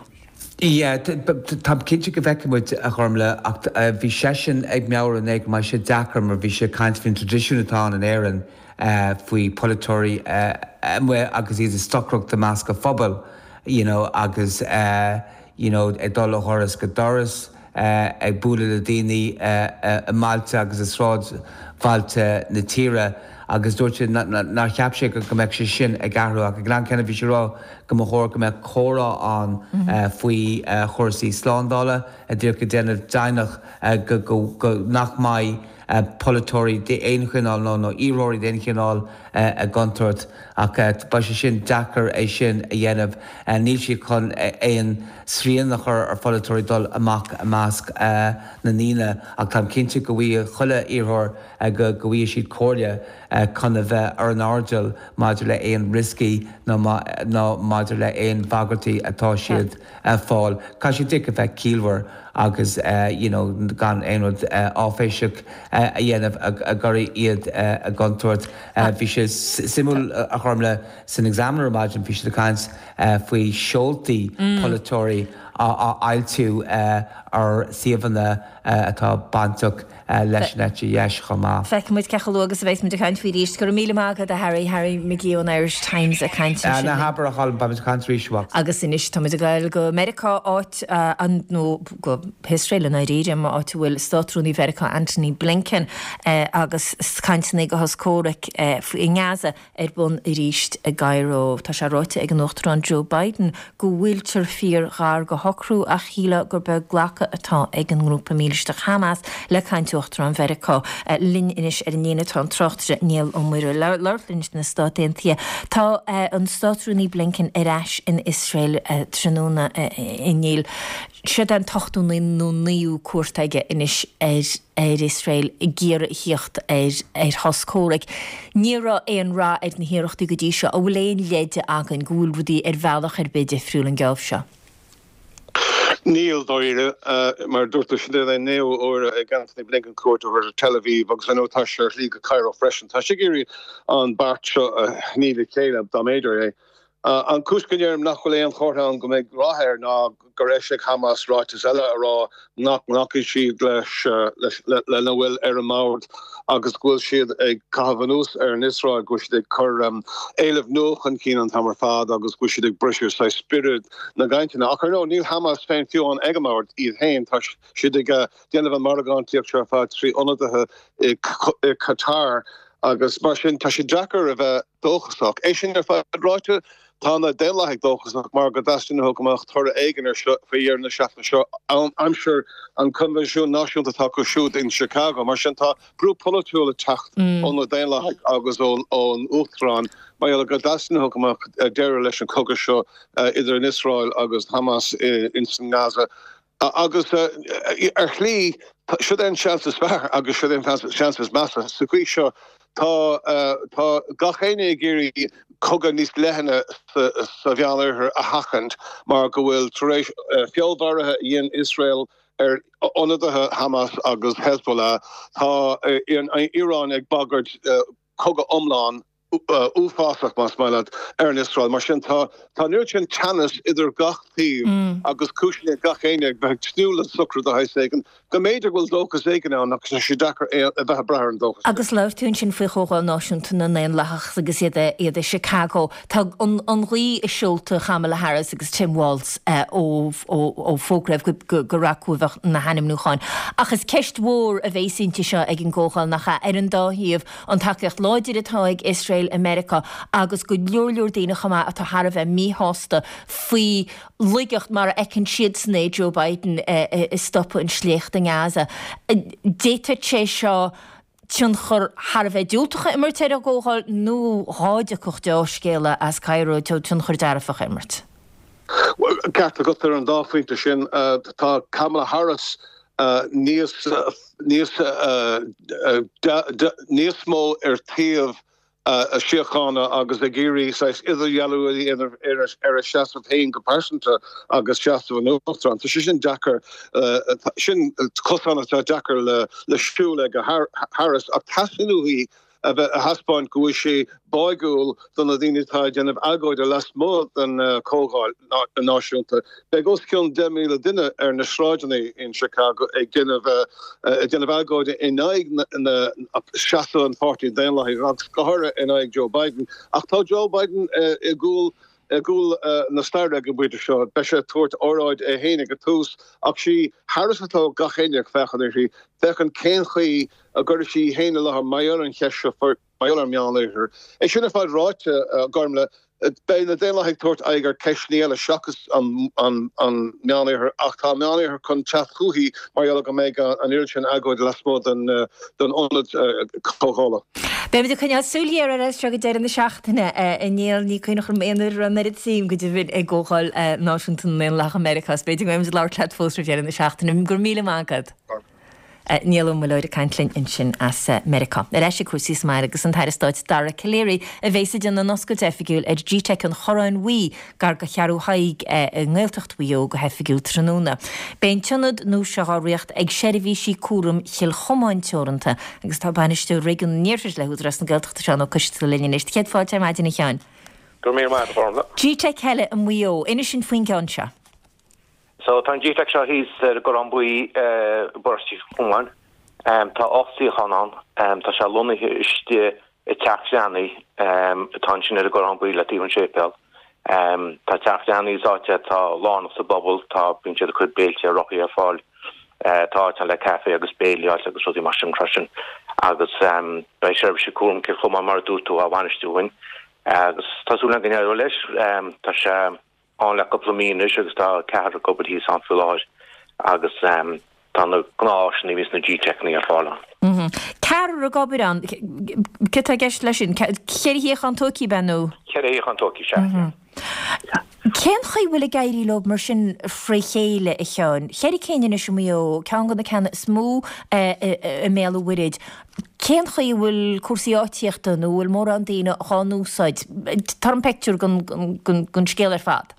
Yeah, táim cinnte go bhfeicfidh muid, a Ghormlaith, ach bhí seisean ag meabhrú inné go mbeidh sé deacair mar bhí sé ag caint faoin traidisiún atá ann in Éirinn faoi pholaiteoirí amuigh agus iad ag stocaireacht i measc an phobail you know agus you know ag dul ó dhoras go doras, ag bualadh le daoine i mbailte agus i sráidbhailte na tíre agus dúirt sé nár cheap sé go mbeadh sé sin ag athrú ach ag an am céanna bhí sé ag rá go mba chóir go mbeadh comhrá ann faoi chúrsaí slándála, díreach ag déanamh deimhneach go nach mbeidh polaiteoirí d'aon chineál nó nó iarrthóirí d'aon chineál i gcontúirt ach beidh sé sin deacair é sin a dhéanamh. Níl siad chun aon srian a chur ar pholaiteoirí dul amach i measc na ndaoine ach táim cinnte go bhfaighidh chuile iarrthóir go bhfaighidh siad comhairle chun a bheith ar an airdeall maidir le aon rioscaí nó nó maidir le aon bhagairtí atá siad a fáil. Caithfidh siad díreach a bheith ciallmhar agus you know gan aon rud áiféiseach a dhéanamh a gcuirfidh iad i gcontúirt. Bhí sé suimiúil a Ghormlaith san Examiner ar maidin bhí siad ag caint faoi seoltaí polaiteoirí á fhoilsiú ar suíomhanna atá bainteach leis an eite dheis chomh maith. Feicfidh muid cé chomh luath agus a bheas muid ag caint faoi arís. Go raibh míle maith agat a Harry, Harry McGee ón Irish Times ag caint ansin. Ná habair a Cholm, beidh muid ag caint arís a mhac. Agus anois tá muid ag dul go Meiriceá, áit an, nó go hIosrael i ndáiríre, áit a bhfuil Státrúnaí Mheiriceá Antony Blinken agus cainteanna do shos comhraic i nGaza ar bun arís i gCairo. Tá sé ráite ag an Uachtarán Joe Biden go bhfuiltear fíor-ghar do shocrú ach shílfeá gur beag glacadh atá ag an ngrúpa mílisteach Hamas le caint Uachtarán Mheiriceá. Linn anois ar an líne tá an tráchtaire Niall Ó Muirí ag labhairt linn sna Stáit Aontaithe. Tá an Státrúnaí Blinken ar ais in Iosrael tráthnóna inniu. Siod é an t-ochtú nó naoú cuairt aige anois ar ar Iosrael ag iarraidh a thíocht ar ar shos comhraic. Ní raibh aon rath ar na hiarrachtaí go dtí seo. An bhfuil aon leide againn go bhfuil rudaí ar bhealach ar bith difriúil an geábh seo? Níl, dáiríre. Mar a dúirt tú, sin é an naoú huair ag Antony Blinken cuairt a thabhairt ar Tel Aviv agus ar ndóigh tá sé ar shlí go Cairo freisin. Tá sé ag iarraidh an beart seo a shní le chéile, dá mb'fhéidir é. An chúis go ndeirim nach bhfuil aon chomhartha ann go mbeidh rath air ná gur eisigh Hamas ráiteas eile a rá nach nglacfaidh siad leis lena bhfuil ar an mbord agus go bhfuil siad ag caitheamh anuas ar an Iosrael, go bhfuil siad ag cur éilimh nua chun cinn an t-am ar fad agus go bhfuil siad ag briseadh saghas spiorad na gcainteanna. Ach ar ndóigh níl Hamas féin fiú amháin ag an mbord iad féin, tá siad ag déanamh an mhargántaíocht seo ar fad trí ionadaithe i Qatar. Agus mar sin, tá sé deacair a bheith dóchasach. É sin ar fad ráite, tá na Daonlathaigh dóchasach mar go dteastaíonn uathu go mbeadh toradh éigin air seo faoi dheireadh na seachtaine seo, aimsir an Coinbhinsiúin Náisiúnta atá acu siúd in Chicago. Mar sin, tá brú polaitiúil ag teacht ó na Daonlathaigh agus ón Uachtarán mar gheall go dteastaíonn uathu go mbeadh deireadh leis an chogadh seo idir an Iosrael agus Hamas ins an nGaza. Agus ar shlí, siod é an seans is fearr agus siod é an seans is measa. Sa gcaoi seo, tá tá gach éinne ag iarraidh cogadh níos leithne sa Mheánoirthear a sheachaint mar go bhfuil, tar éis feallmharuithe a dhein Iosrael ar ionadaithe Hamas agus Hezbollah, tá an Iaráin ag bagairt cogadh iomlán uafásach, más maith leat, ar an Iosrael. Mar sin, tá tá an oiread sin teannas idir gach taobh agus cúiseanna ag gach éinne ag bheith ag tnúth le socrú de shaghas éigin go mb'fhéidir go bhfuil dóchas éigin ann ach tá sé deacair a bheith ag brath ar an dóchas sin. Agus labhair tú ansin faoi Chomhdháil Náisiúnta na nDaonlathach agus iad iad i Chicago. Tá an an ghaoth i seolta Kamala Harris agus Tim Walz ó ó fógraíodh go gur acu a bheadh na hainmniúcháin. Ach is ceist mhór a bheas inti seo ag an gcomhdháil nach ea, ar an dá thaobh, an tacaíocht láidir atá ag Iosrael i Meiriceá agus go leor leor daoine chomh maith atá thar a bheith míshásta faoi laigeacht mar a fheiceann siadsan é Joe Biden i stopadh an sléachta i nGaza. D'fhéadfadh sé seo tionchar thar a bheith diúltach a imirt ar an gcomhdháil nó dhá dtiocfadh dea-scéala as Cairo tionchar dearfach a imirt. Bhuel, ceart agat ar an dá phointe sin. Tá Kamala Harris níos níos níos mó ar taobh síochána agus ag iarraidh saghas idirdhealú a dhéanamh ar a seasamh féin go pearsanta agus seasamh an Uachtaráin. Tá sé sin deacair, sin cosán atá deacair le siúl ag Harris ach teastaíonn uaithi a bheith a thaispeáint go bhfuil sí báúil do na daoine atá ag déanamh agóide lasmuigh den Chomhdháil Náisiúnta. Beidh os cionn deich míle duine ar na sráideanna in Chicago ag déanamh ag déanamh agóide in aghaidh na seasamh an Pháirtí Daonlathaigh agus go háirithe in aghaidh Joe Biden. Ach tá Joe Biden i gcúl i gcúl na staire ag an bpointe seo. Beidh sé ag tabhairt óráid é féin ag an tús ach sí Harris atá gach éinne ag féachaint uirthi, féachaint cén chaoi a gcuirfidh sí í féin i láthair mar gheall ar an cheist seo mar gheall ar an Meánoirthear. É sin ar fad ráite, a Ghormlaith, beidh na Daonlathaigh ag tabhairt aghaidh ar cheisteanna eile seachas an Meánoirthear ach tá an Meánoirthear chun teacht chúithi mar gheall go mbeidh an oiread sin agóide lasmuigh den ionad comhdhála. Beimid ag coinneáil súil ghéar air as seo go deireadh na seachtaine. A Néill, ní cuimhneach liom aon uair a raibh an oiread suim go deimhin i gComhdháil Náisiúnta na nDaonlathach i Meiriceá. Is b'fhéidir go mbeimid ag labhairt leat fós roimh dheireadh na seachtaine. Go raibh míle maith agat. Niall Ó Muilleoir ag caint linn ansin as Meiriceá. Ar ais ag cúrsaí sa mbaile agus an tAire Stáit Dara Calleary a bheas ag déanamh an oscailte oifigiúil ar G-Teic an Chorráin Bhuí gar do Cheathrú Thaidhg i nGaeltacht Mhaigh Eo go hoifigiúil tráthnóna. Beidh an t-ionad nua seo á reáchtáil ag Seirbhísí Cúraim Chill Chomáin Teoranta agus tá Bainisteoir Réigiún an Iarthair le hÚdarás na Gaeltachta Seán Ó Coisteala linn anois. Céad fáilte ar maidin a Sheáin. Go raibh míle maith agat a Ghormlaith. G-Teic eile i Maigh Eo. Inis dúinn faoin gceann seo. So tá an G-Teic seo thíos ar an gCorrán Buí i bparóiste Chill Chomáin. Tá ocht suíochán ann. Tá sé lonnaithe istigh i dTeach Bhreathnaigh atá ansin ar an gCorrán Buí le taobh an séipéal. Tá Teach Bhreathnaigh is áit é atá lárnach sa bpobal. Tá, bíonn siad ag cur béilte ar rothaí ar fáil. Tá áit ann le caife agus béilí a fháil agus rudaí mar sin freisin. Agus beidh Seirbhísí Cúraim Chill Chomáin mar a dúirt tú á bhainistiú againn. Agus tá súil againn go n-éireoidh leis. Tá sé ann le cúpla mí anois agus tá ceathrar ag obair thíos ann faoi láthair agus tá na gnáth-áiseanna a bhíonn sna G-Teiceanna ar fáil ann. Ceathrar ag obair ann, céard atá i gceist leis sin? Ceithre shuíochán tógtha, ab ea, nó? Ceithre shuíochán tógtha, sea. Cén chaoi a bhfuil ag éirí leo mar sin fré chéile, a Sheáin? Ceithre cinn anois i Maigh Eo, ceann de na ceanna is mó i mBéal an Mhuirthead. Cén chaoi a bhfuil cúrsaí áitíochta nó an bhfuil mórán daoine dhá n-úsáid? Tabhair dom pictiúr den scéal ar fad.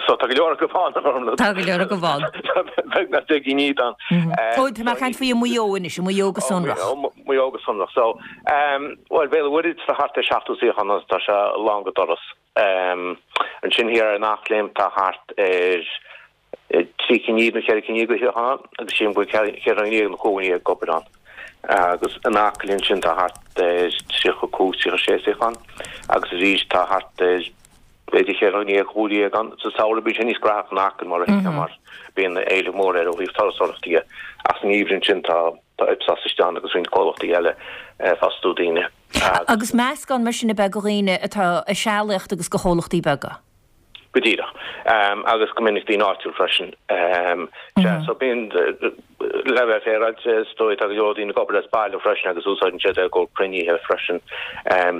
So tá go leor acu ann, a Ghormlaith. Tá go leor acu ann. Beagnach deich gcinn iad ann. Ó, tá mé ag caint faoi i Maigh Eo anois, i Maigh Eo go sonrach. Maigh Eo go sonrach. So, bhuel, Béal an Mhuirthead tá thart ar seachtó suíochán ann, tá sé lán go doras. Ansin thiar ar an Eachléim tá thart ar trí cinn nó ceithre cinn de shuíocháin ann agus sílim go bhfuil ceithre dhuine déag nó cúig dhuine déag ag obair ann. Agus in Acaill ansin tá thart ar tríocha cúig, tríocha sé suíochán agus arís tá thart ar b'fhéidir cheithre dhuine déag, chúig déag ann. Sa samhradh bíonn sé níos graitheach in Acaill mar a thuigfeá mar bíonn éileamh mór air ó thaobh turasóireachta dhe. Ach san ngeimhreadh ansin tá tá Ipsos istigh ann agus roinnt comhlachtaí eile ag fostú daoine. Agus meascán mar sin ab ea de dhaoine atá ag sealaíocht agus de chomhlachtaí beaga? Go díreach. Agus go minic daoine áitiúil freisin. Sea, so bíonn, le bheith féaráilte, is dóigh, tá go leor daoine ag obair as baile freisin agus úsáideann siad é i gcomhair cruinnithe freisin,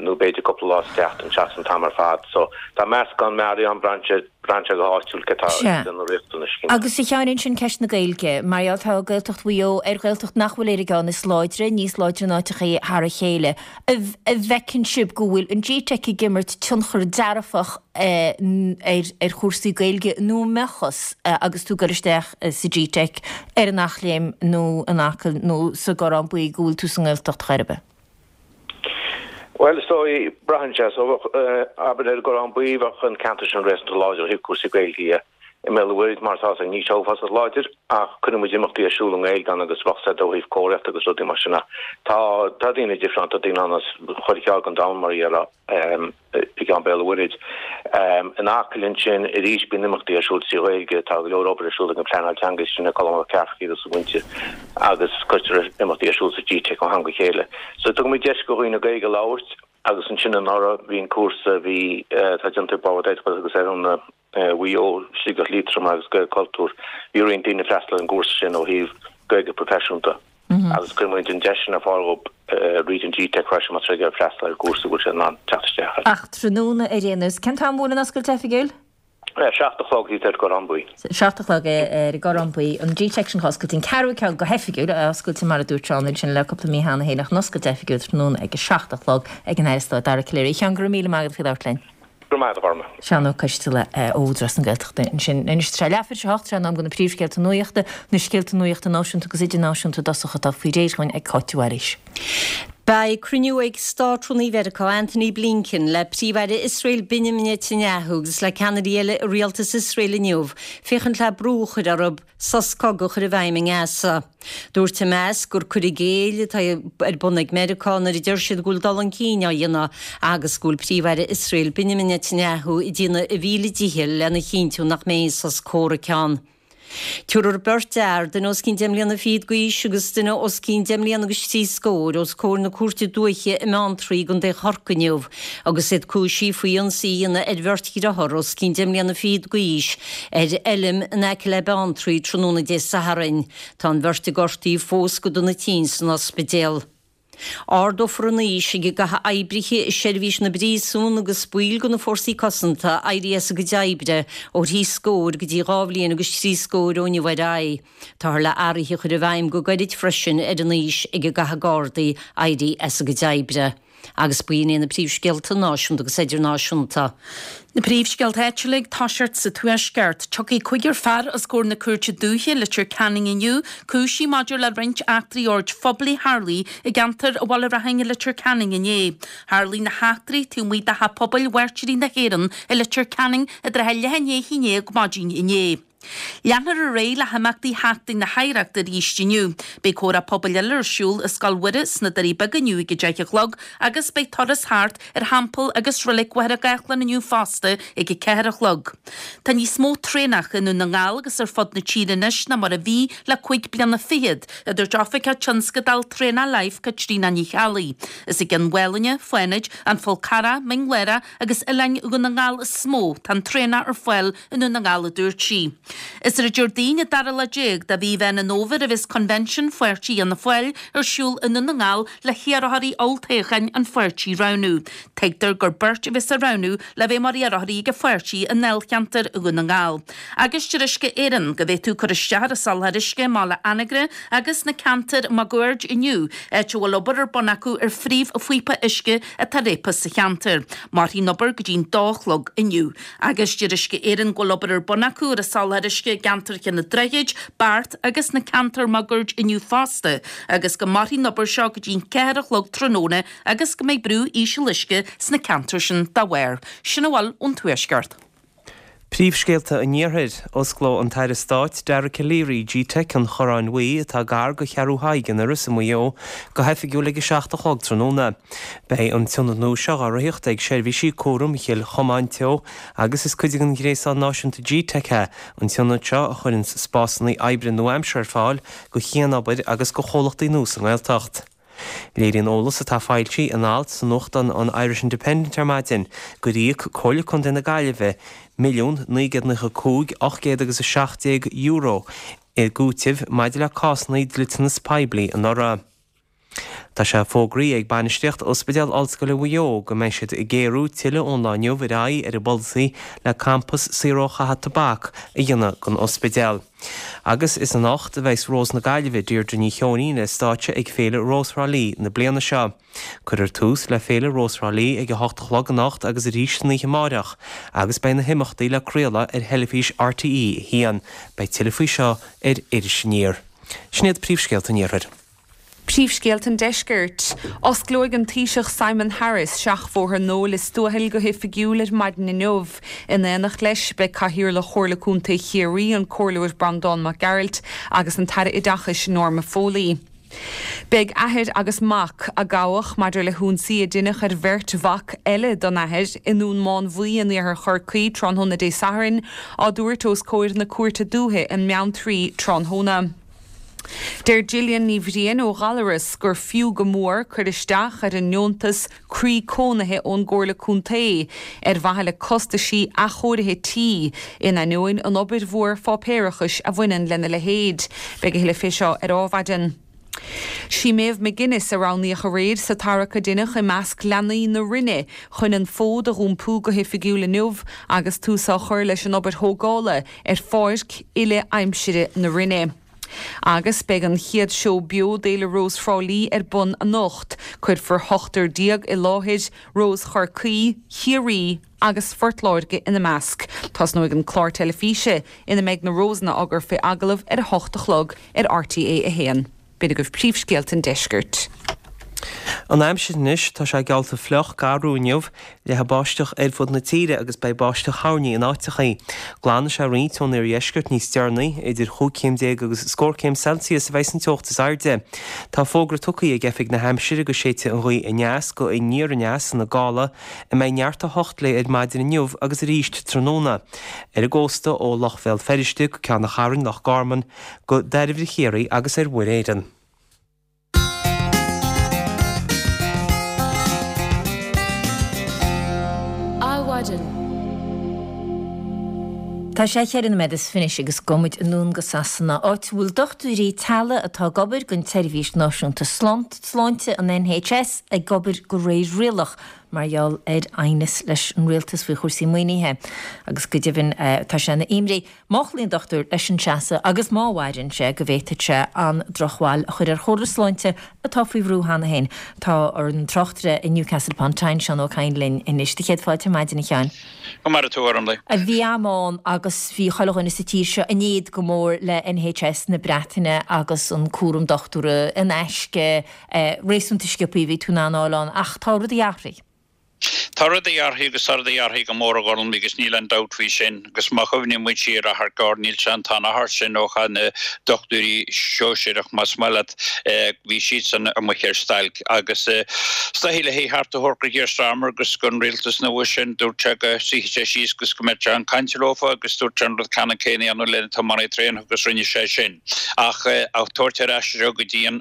nó b'fhéidir cúpla lá sa tseachtain seachas an t-am ar fad. So tá meascán mearaí ann, braitheann sé, braitheann sé go háitiúil cé tá na riachtanais. Agus a Sheáin ansin ceist na Gaeilge, mar gheall tá Gaeltacht Mhaigh Eo ar Ghaeltacht nach bhfuil ar an gceann is láidre, níos láidre in áiteachaí thar a chéile. An bhfeiceann sibh go bhfuil an G-Teic ag imirt tionchar dearfach ar chúrsaí Gaeilge nó an mbeadh fhios agus tú ag dul isteach sa G-Teic ar an Eachléim nó in Acaill nó sa gCorrán Buí go bhfuil tú sa nGaeltacht chor ar bith? Bhuel, is dóigh, braitheann sé. So, abair ar an gCorrán Buí, bheadh an ceantar sin réasúnta láidir ó thaobh cúrsaí Gaeilge dhe. I mBéal an Mhuirthead, mar atá, níl sé uafásach láidir ach cuireann muid imeachtaí ar siúl i nGaeilge ann agus bheadh sé ó thaobh comharthaíochta agus rudaí mar sin. Tá tá daoine difriúil ann, tá daoine ann as chuile cheard den domhan mar a déarfá i gceann Béal an Mhuirthead. In Acaill ansin arís bíonn imeachtaí ar siúl trí Ghaeilge, tá go leor obair ar siúl ag an phleanáil teanga sin ag Colm Mac Cárthaigh agus a mhuintir agus cuirtear imeachtaí ar siúl sa G-Teic ó am go chéile. So tugann muid deis do dhaoine Gaeilge a labhairt agus ansin anuraidh bhí an cúrsa a bhí atá déanta ag Bord Oideachais agus ar an Mhaigh Eo, Sligeach Liatroim agus Gaelchultúr. Bhí roinnt daoine ag freastal ar an gcúrsa sin ó thaobh Gaeilge proifisiúnta agus cuireann muid an deis sin ar fáil dhóibh fríd an G-Teic freisin más rud é freastal ar an gcúrsa go bhfuil siad in ann teacht isteach air. Ach tráthnóna ar aon nós, cén t-am a bhfuil an oscailt oifigiúil? Seacht a chlog thíos ar an gCorrán Buí. Seacht a chlog ar an gCorrán Buí. An G-Teic sin oscailte, an ceathrú ceann go hoifigiúil, oscailte mar a dúirt Seán ansin le cúpla mí cheana féin ach an oscailt oifigiúil tráthnóna ag a seacht a chlog ag an Aire Stáit Dara Calleary. A Sheáin, go raibh míle maith agat faoi labhairt linn. Go raibh maith agat, a Ghorma. Seán Ó Coisteala ó Údarás na Gaeltachta ansin. Anois tá sé leathuair tar éis a hocht, sé an am do na príomhscéalta nuachta, na scéalta nuachta náisiúnta agus idirnáisiúnta i dtosach atá faoi réir dhúinn ag Cáit de Bhailís. Beidh cruinniú ag Státrúnaí Mheiriceá Antony Blinken le Príomh-Aire Iosrael Benjamin Netanyahu agus le ceannairí eile i rialtas Iosrael inniu féachaint le brú a chur orthu sos cogaidh a chur i bhfeidhm i nGaza. Dúirt Hamas gur cur i gcéill atá ar bun ag Meiriceá nuair a deir siad go bhfuil dul chun cinn á dhéanamh agus go bhfuil Príomh-Aire Iosrael Benjamin Netanyahu ag déanamh a mhíle dícheall lena chinntiú nach mbeidh aon sos comhraic ann. Tabharfar beirt fhear, duine os cionn deich mbliana fichead d'aois agus duine os cionn deich mbliana agus trí scór, os comhair na Cúirte Dúiche i mBeanntraí i gContae Chorcaí inniu agus iad cúisithe faoi ionsaí a dhéanamh ar bheirt dhearthár os cionn deich mbliana fichead d'aois ar fheilm in aice le Beanntraí tráthnóna Dé Sathairn. Tá an bheirt gortaithe fós go dona tinn san ospidéal. Ardófar an aois ag a gcaithfidh oibrithe i seirbhís na bpríosún agus baill de na fórsaí cosanta éirí as a gcuid oibre ó thrí scór go dtí dhá bhliain agus trí scór ó inniu ar aghaidh. Táthar le athruithe a chur i bhfeidhm go gairid freisin ar an aois ag a gcaithfidh Gardaí éirí as a gcuid oibre. Agus b'in iad na príomhscéalta náisiúnta agus idirnáisiúnta. Na príomhscéalta áitiúla ag toiseacht sa Tuaisceart. Tiocfaidh cúigear fear os comhair na Cúirte Dúiche i Leitir Ceanainn inniu, cúisithe maidir le roinnt eachtraí oird phoiblí a tharlaigh i gceantar Bhaile Raithin i Leitir Ceanainn inné. Tharlaigh na heachtraí taobh amuigh de Theach Pobail Mhairtírigh na hÉireann i Leitir Ceanainn i dtrátha leath i ndiaidh a haon déag maidin inné. Leanfar ar aghaidh le himeachtaí Sheachtain na hOidhreachta arís inniu. Beidh comhrá pobail eile ar siúl i Scoil Mhuire sna Doirí Beaga inniu ag a deich a chlog agus beidh turas thart ar Theampall agus Reilig Mhachaire Gathlán inniu fosta ag a ceathair a chlog. Tá níos mó traenach i nDún na nGall agus ar fud na tíre anois ná mar a bhí le cúig bliana fichead, a dúirt Oifigeach Tionscadail Traenach Life Caitríona Ní Cheallaigh. Is i gCionn Mhálanna, Fánaid, An Fál Carrach, Mín Lárach agus Oileáin Dhún na nGall is mó tá an traenach ar fáil i nDún na nGall, a dúirt sí. Is ar an Déardaoin an dara lá déag de mhí Mheán an Fhómhair a bheas Convention Pháirtí Fhianna Fáil ar siúl i nDún na nGall le hiarrthóirí olltoghcháin an pháirtí a roghnú. Tuigtear gur beirt a bheas á roghnú le bheith mar iarrthóirí ag an pháirtí i ndáilcheantar Dhún na nGall. Agus deir Uisce Éireann go bhféadfaí cur isteach ar an soláthar uisce i mBaile Anagaire agus sna ceantair máguaird inniu, áit a bhfuil obair ar bun acu ar phríomhphíopa uisce atá réabtha sa cheantar. Mairfidh an obair go dtí'n dó a chlog inniu. Agus deir Uisce Éireann go bhfuil obair ar bun acu ar an soláthar uisce i gceantar Chionn an Droichid, Beart agus sna ceantair máguaird inniu fosta agus go mairfidh an obair seo go dtí'n ceathair a chlog tráthnóna agus go mbeidh brú íseal uisce sna ceantair sin dá bharr. Sin a bhfuil ón Tuaisceart. Príomhscéalta an Iarthair, Osclóidh an tAire Stáit Dara Calleary G-Teic an Chorráin Bhuí, atá gar do Cheathrú Thaidhg in Iorras i Maigh Eo, go hoifigiúil ag a seacht a chlog tráthnóna. Beidh an t-ionad nua seo á reáchtáil ag Seirbhísí Cúraim Chill Chomáin Teo agus is cuid den ghréasán náisiúnta G-Teic é an t-ionad seo a chuireann spásanna oibre nua-aimseartha ar fáil do chianobair agus do chomhlachtaí nua sa nGaeltacht. Léiríonn eolas atá foilsithe in alt sa nuachtán an Irish Independent ar maidin gur íoc Comhairle Contae na Gaillimhe milliún naoi gcéad nócha cúig ocht gcéad agus a seacht déag euro i gcúiteamh maidir le cásanna dliteanas poiblí anuraidh. Tá sé fógraithe ag bainistíocht Ospidéal Ollscoile Mhaigh Eo go mbeidh siad ag géarú tuilleadh ón lá inniu ar aghaidh ar a bpolasaí le campas saor ó chaitheamh tobac a dhéanamh den ospidéal. Agus is anocht a bheas Rós na Gaillimhe, Deirdre Ní Cheoinín, ar stáitse ag Féile Rós Thrá Lí na bliana seo. Cuirfear tús le Féile Rós Thrá Lí ag a hocht a chlog anocht agus arís san oíche amáireach agus beidh na himeachtaí le craoladh ar theilifís RTÉ a haon. Beidh tuilleadh faoi seo ar Iris Aniar. Sin iad príomhscéalta an Iarthair. Príomhscéalta an Deiscirt. Osclóidh an Taoiseach Simon Harris Seachbhóthar Noel i Stuathail go hoifigiúil ar maidin inniu. In éineacht leis beidh Cathaoirleach Chomhairle Contae Chiarraí, an Comhairleoir Breandán Mac Gearailt agus an tAire Oideachais Norma Foley. Beidh athair agus mac, a gabhadh maidir le hionsaí a deineadh ar bheirt mhac eile don athair i nDún Mánmhaí in iarthar Chorcaí tráthnóna Dé Sathairn, á dtabhairt os comhair na Cúirte Dúiche i mBeanntraí tráthnóna. Deir Gillian Ní Bhriain ó Ghallaras gur fiú go mór cur isteach ar an ndeontas Croí Cónaithe ón gComhairle Contae ar mhaithe le costaisí athchóirithe tí, in ainneoin an obair mhór pháipéarachais a bhaineann lena leithéid. Beidh a thuilleadh fé seo ar Adhmhaidin. Sí Méabh McGuinness a roghnaíodh aréir sa tarrac a deineadh i measc leanaí na Rinne chun an fód a dh'iompú go hoifigiúil inniu agus tús á chur leis an obair thógála ar pháirc uile-aimsire na Rinne. Agus beidh an chéad seó beo d'Fhéile Rós Thrá Lí ar bun anocht. Cuirfear ochtar déag i láthair, Rós Chorcaí, Chiarraí agus Phort Láirge ina measc. Tosnóidh an clár teilifíse ina mbeidh na Rósanna á gcur fé agallamh ar a hocht a chlog ar RTÉ a haon. B'in agaibh príomhscéalta an deiscirt. An aimsir anois, tá sé geallta fliuch, garú inniu, leathfaidh báisteach ar fud na tíre agus beidh báisteach thoirní in áiteachaí. Glanfaidh sé roinnt ón iardheisceart níos deireanaí, idir chúig chéim déag agus scór céim Celsius a bheidh an teocht is airde. Tá fógra tugtha ag Oifig na hAimsire go séidfidh an ghaoth aneas go aniar aneas ina gála a mbeidh neart a hocht léi ar maidin inniu agus arís tráthnóna. Ar an gcósta ó Loch Bhéal Feirste go Ceann an Chairn, Loch Garman, go Dairbhre Chiarraí agus ar Mhuir Éireann. Adhmhaidin. Tá sé cheithre nóiméad is fiche anois agus gabhfaidh muid anonn go Sasana, áit a bhfuil dochtúirí teaghlaigh atá ag obair don tSeirbhís Náisiúnta Sláinte, an NHS, ag obair de réir rialach mar gheall ar aighneas leis an rialtas faoi chúrsaí maoinithe agus go deimhin tá sé ina imní má chloíonn dochtúir leis an seasamh agus má mhaireann sé go bhféadfadh sé an-drochbhail a chur ar chóras sláinte atá faoi bhrú cheana féin. Tá ár dtráchtaire i Newcastle upon Tyne, Seán Ó Cadhain linn anois. Do chéad fáilte ar maidin, a Sheáin. Go maire tú, a Ormlaith. Bhí am ann agus bhí chuile dhuine sa tír seo in éad go mór le NHS na Breataine agus an cúram dochtúra in aisce, réasúnta sciobtha a bhí tú in ann a fháil ann ach tá rudaí athraithe. Tá rudaí athraithe agus tá rudaí athraithe go mór a Ghormlaith agus níl aon dabht faoi sin. Agus má chuimhníonn muid siar achar gearr, níl sé an t-an-achar sin ó chaith na dochtúirí sóisearach, más maith leat, bhí siadsan amuigh ar stailc. Agus is dóichí le theacht a thabhairt go Keir Starmer agus don rialtas nua sin, dúirt sé go suífeadh sé síos agus go mbeadh sé ag caint leofa agus dúirt sé an rud ceannann céanna a dhéanamh le na tiománaithe traenach agus rinne sé sin. Ach á tabhairt ar ais anseo go dtí an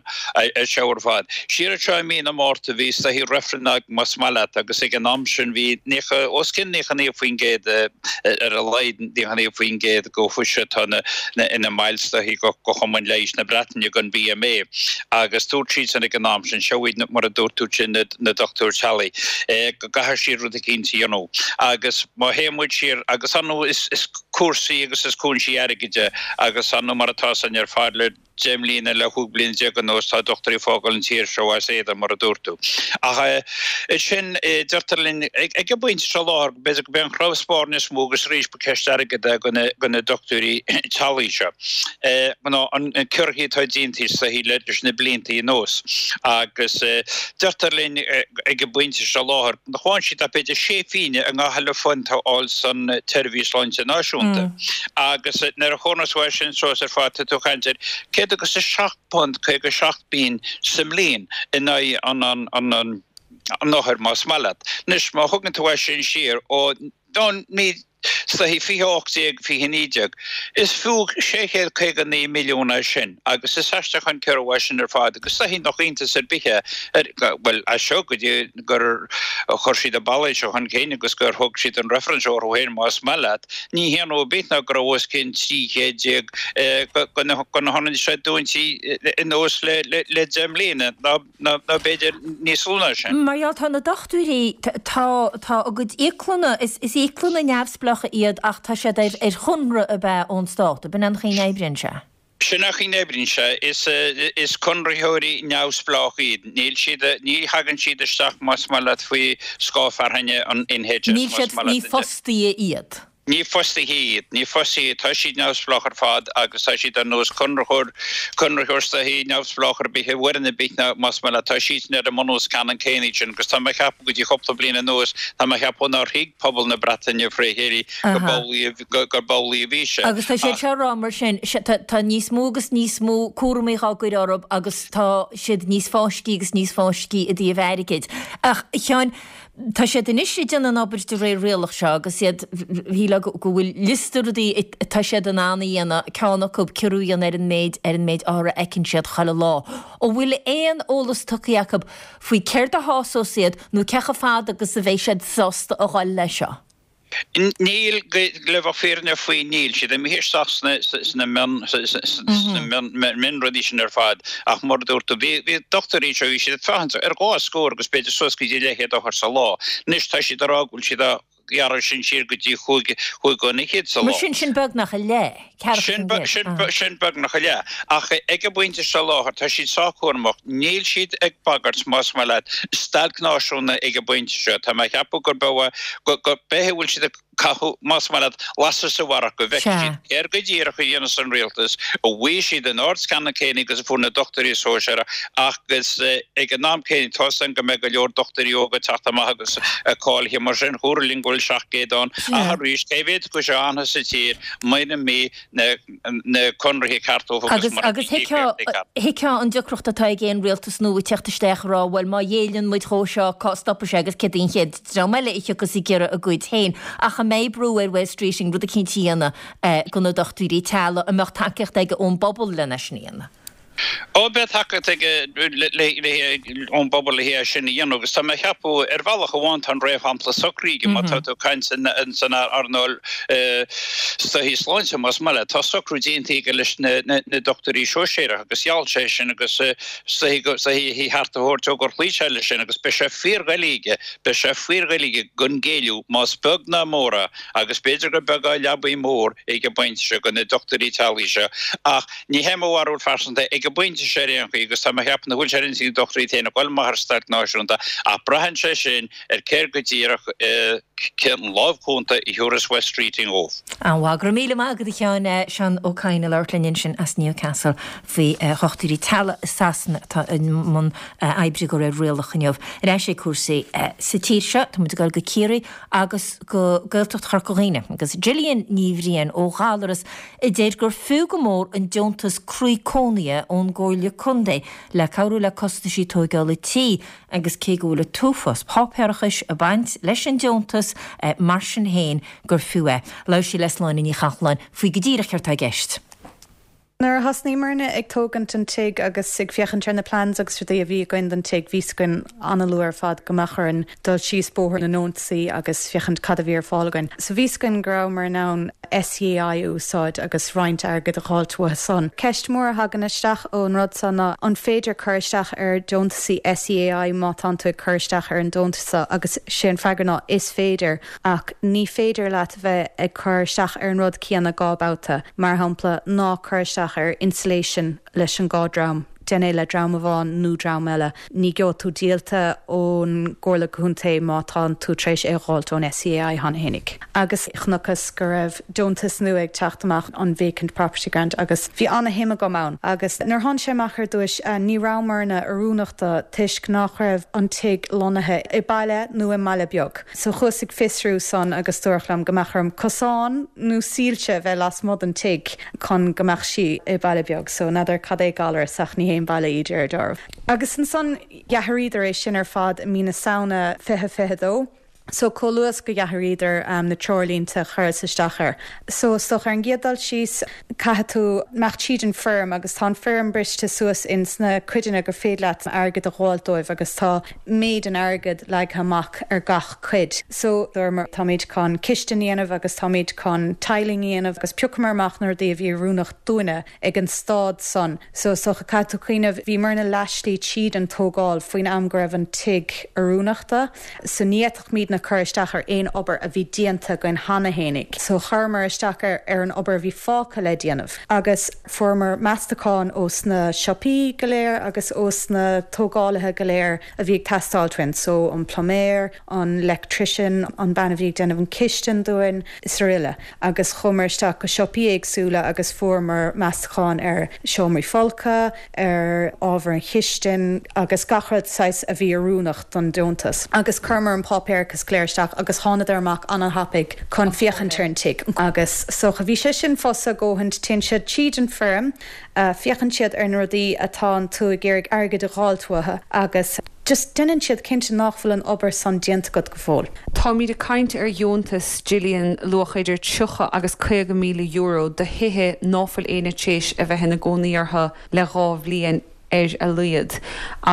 seo ar fad. Siar anseo i mí na Márta bhí is dóichí reifreann ann más maith leat agus ag an am sin bhí naocha, os cionn naocha naoi faoin gcéad ar a laghad naocha naoi faoin gcéad go fuise atá ina mbaill is dóichí go Chumann Leighis na Breataine den BMA agus dúirt siadsan ag an am sin, seo iad mar a dúirt tú sin na dochtúir teaghlaigh, go gcaithfidh siad rud eicínt a dhéanamh agus má théann muid siar agus ar ndóigh is cúrsaí agus is cúinsí airgid é agus ar ndóigh mar atá san ar fad le deich mbliana le chúig bliana déag anuas tá dochtúirí ag fágáil an tír seo as éadan mar a dúirt tú. Ach ansin deirtear linn ag an bpointe seo láthair b'fhéidir go b'é an cnámh spairne is mó agus arís ba ceist airgid é go na dochtúirí teaghlaigh seo ná an ciorruithe atá déanta is dóichí leis na blianta anuas agus deirtear linn ag an bpointe seo láthair nach bhfaigheann siad ach b'fhéidir sé phingin i ngach uile phunt a fháil san tSeirbhís Sláinte Náisiúnta. Agus nuair a chomhaireann tú é sin suas ar fad tá tú ag caint ar céad agus a seacht punt caoga seacht bpingin sa mbliain in aghaidh an an an othair más maith leat. Anois má thugann tú é sin siar ó ní is dóichí fiche ocht déag, fiche naoi déag. Is fiú sé chéad caoga naoi milliún é sin agus is aisteach an ciorrú é sin ar fad agus is dóichí nach iontas ar bith é, bhuel, as seo go dtí gur chuir siad an ballóid seo chun cinn agus gur thug siad an reifreann seo orthu féin más maith leat, ní hionadh ar bith ná go raibh os cionn trí chéad déag de na hionaid seo dúnta anuas le deich mbliana ná ná b'fhéidir níos lú ná sin. Mar gheall, tá na dochtúirí, tá, tá a gcuid íoclanna, is, is íoclanna neamhspleácha iad ach tá siad ar, ar chonradh ab ea ón stát, ab in an chaoi a n-oibríonn sé? Sin an chaoi a n-oibríonn sé, is, is conraitheoirí neamhspleácha iad, níl siad, ní thagann siad isteach más maith leat faoi scáth fearthainne an NHS Níl más siad, maith ní leat. fostaithe iad. Ní fostaithe iad, ní fostaithe iad, tá siad neamhspleách ar fad agus tá siad ar nós conraitheoir, conraitheoir soithí neamhspleách ar bith, i bhfoireann ar bith ná más maith leat, tá siadsan ar an mbunús ceannann céanna iad sin agus tá mé a cheapadh go dtí cúpla bliain anuas, tá mé a cheapadh nár thuig pobal na Breataine fré chéile gurb amhlaidh, gurb amhlaidh a bhí sé. Agus tá siad seo ag rá mar sin, tá, tá níos mó agus níos mó cúramaí á gcur orthu agus tá siad níos fáiscthí agus níos fáiscthí i dtaobh airgid. Ach, a Sheáin, Tá siad anois ag déanamh an obair de réir rialach seo agus iad, shílfeá go bhfuil liosta rudaí atá siad in ann a dhéanamh, ceann acu ciorrú a dhéanamh ar an méid ar an méid othar a fheiceann siad chuile lá. An bhfuil aon eolas tugtha acu faoi céard a shásós iad nó cé chomh fada agus a bheidh siad sásta a dhul leis seo? Níl, le bheith fírinneach faoi, níl siad imithe isteach sna mionrudaí sin ar fad ach mar a dúirt tú, bhí dochtúirí seo, bhí siad ag féachaint ar dhá scór agus b'fhéidir suas go dtí leathchéad othar sa lá. Anois tá siad ag rá go bhfuil siad á ghearradh sin siar go dtí chúig chúig fhichead sa lá. Mar sin, sin beagnach a leath, ceathracha faoin gcéad. Sin beagnach a leath. Ach ag an bpointe seo láthair, tá siad sách cúramach. Níl siad ag bagairt, más maith leat, stailc náisiúnta ag an bpointe seo. Tá mé ag ceapadh gurb ea, gurb é a bhfuil siad ag caitheamh, más maith leat, lasair sa bharrach, go bhfeicfidh siad céard go díreach a dhéanfas an rialtas, an bhfaighidh siad an aird ceannann céanna agus a fuair na dochtúirí sóisearacha agus ag an am céanna, tá a fhios againn go mbeidh go leor dochtúirí óga ag teacht amach agus cáilithe mar sin. Dúradh linn go bhfuil seacht gcéad ann. Ach arís, cé mhéad acu seo a fhanfas sa tír mura mbeidh na conarthaí ceart dóibh agus mura mbeidh íocaíochtaí ceart. Thuigfeá an deacracht atá ag aon rialtas nua ag teacht isteach ag rá bhuel má ghéilleann muid dhó seo cá stopfaidh sé agus céard í an chéad dream eile a thiocfas ag iarraidh a gcuid féin. Ach an mbeidh brú ar Wes Streeting rud eicínt a dhéanamh do na dochtúirí teaghlaigh, an mbeadh tacaíocht aige ón bpobal lena sin a dhéanamh? Ó, beidh tacaíocht aige ón bpobal le é sin a dhéanamh agus tá mé a cheapadh, ar bhealach amháin tá an réamhshampla socraithe aige má tá tú ag caint san earnáil soithí sláinte, más maith leat. Tá socrú déanta aige leis na dochtúirí sóisearacha agus gheall sé sin agus soithí a cheart a thabhairt dó gur chloígh sé leis sin agus beidh sé fíordhoiligh aige, beidh sé fíordhoiligh aige gan géilleadh, más beag ná mór é, agus b'fhéidir gur beag é leabaidh mór ag an bpointe seo do na dochtúirí teaghlaigh seo ach ní hé mo bharúil phearsanta ag an bpointe seo ar aon chaoi agus tá mé a cheapadh nach bhfuil sé ar intinn ag dochtúirí féin a dhul amach ar stailc náisiúnta ach braitheann sé sin ar céard go díreach cén lámh chúnta a thiúrfas Wes Streeting dóibh. An-mhaith. Go raibh míle maith agat a Sheáin. Seán Ó Cadhain ag labhairt linn ansin as Newcastle faoi dhochtúirí teaghlaigh i Sasana atá i mbun oibre de réir rialach inniu. Ar ais ag cúrsaí sa tír seo, tá muid ag dul go Ciarraí agus go Gaeltacht Chorca Dhuibhne agus Gillian Ní Bhriain ó Ghallaras a deir gur fiú go mór an deontas croí cónaithe ón gComhairle Contae le cabhrú le costaisí tóigeála tí agus cé go bhfuil an t-uafás páipéarachais ag baint leis an deontas mar sin féin gur fiú é. Labhair sí le Sláine Ní Chathalláin faoi go díreach céard atá i gceist. Nuair a thosnaíomarna ag tógaint an tigh agus ag féachaint ar na plans agus rudaí a bhí againn don tigh, bhí 's againn an-luath ar fad go mbeadh orainn dul síos bóthar na ndeontasaí agus féachaint cad a bhí ar fáil againn. So bhí 's againn go rabhamar in ann SEAI a úsáid agus roinnt airgid a dh'fháilt uathu san. Ceist mhór a thagann isteach ón rud seo ná an féidir cur isteach ar deontasaí SEAI má tánn tú ag cur isteach ar an deontas seo agus sé an freagra ná is féidir ach ní féidir leat bheith ag cur isteach ar an rud céanna dhá babhta. Mar shampla, ná cuir isteach ar insulation leis an dhá dream, déan é le dream amháin nó dream eile. Ní gheobhaidh tú díolta ón gComhairle Contae má tánn tú tar éis é a dh'fháilt ón SEAI cheana fhéinig. Agus chonacthas go raibh deontas nua ag teacht amach, an Vacant Property Grant, agus bhí ana-shuim agam ann. Agus nuair a tháinig sé amach ar dtúis, ní rabhamarna oiriúnach dó toisc nach raibh an tigh lonnaithe i baile nó i mbaile beag. So chuas ag fiosrú san agus dúradh liom go mbeadh orm cosán nó soilse a bheith lasmuigh den tigh chun go mbeadh sí i baile beag. So n'fheadar cad é Gallaras ach ní haon baile í deir dearbh. Agus ansan d'athraíodar é sin ar fad i mí na Samhna fiche fiche dó. So chomh luath is go d'athraíodar na treoirlínte chuireas isteach air. So is dócha ar an gcéad dul síos caithfidh tú imeacht tríd an foirm agus tá an foirm briste suas ins na cuideanna gur féidir leat airgead a dh'fháilt dóibh agus tá méid an airgid leagtha amach ar gach cuid. So dúramar táimid chun cistin a dhéanamh agus táimid chun tiling a dhéanamh agus phiocamar amach na rudaí a bhí oiriúnach dúinne ag an staid san. So is dócha caithfidh tú cuimhneamh bhíomarna leathshlí tríd an tógáil faoin am go raibh an tigh oiriúnach dó. So ní fhéadfaimid muidne cur isteach ar aon obair a bhí déanta againn cheana fhéinig. So chuireamar isteach ar ar an obair a bhí fágtha le déanamh. Agus fuaireamar meastachán ós na siopaí go léir agus ós na tógálaithe go léir a bhí ag teastáil uainn, so an pluiméir, an electrician, an bean a bhí ag déanamh an chistin dúinn, is araile. Agus chuamar isteach go siopaí éagsúla agus fuaireamar meastachán ar seomraí folctha, ar ábhar an chistin agus gach rud saghas a bhí oiriúnach don deontas. Agus chuireamar an páipéarachas go léir isteach agus thánadar amach an-thapaidh chun féachaint ar an tigh. Agus so bhí sé sin fusa a dhóthain, téann siad tríd an foirm, féachann siad ar na rudaí atá tú ag iarraidh airgead a dh'fháilt uathu agus just déanann siad cinnte nach bhfuil an obair san déanta agat go fóill. Táimid ag caint ar dheontas Gillian luach idir tríocha agus caoga míle euro do thithe ná fuil éinne tar éis a bheith ina gcónaí orthu le dhá bhliain ar a laghad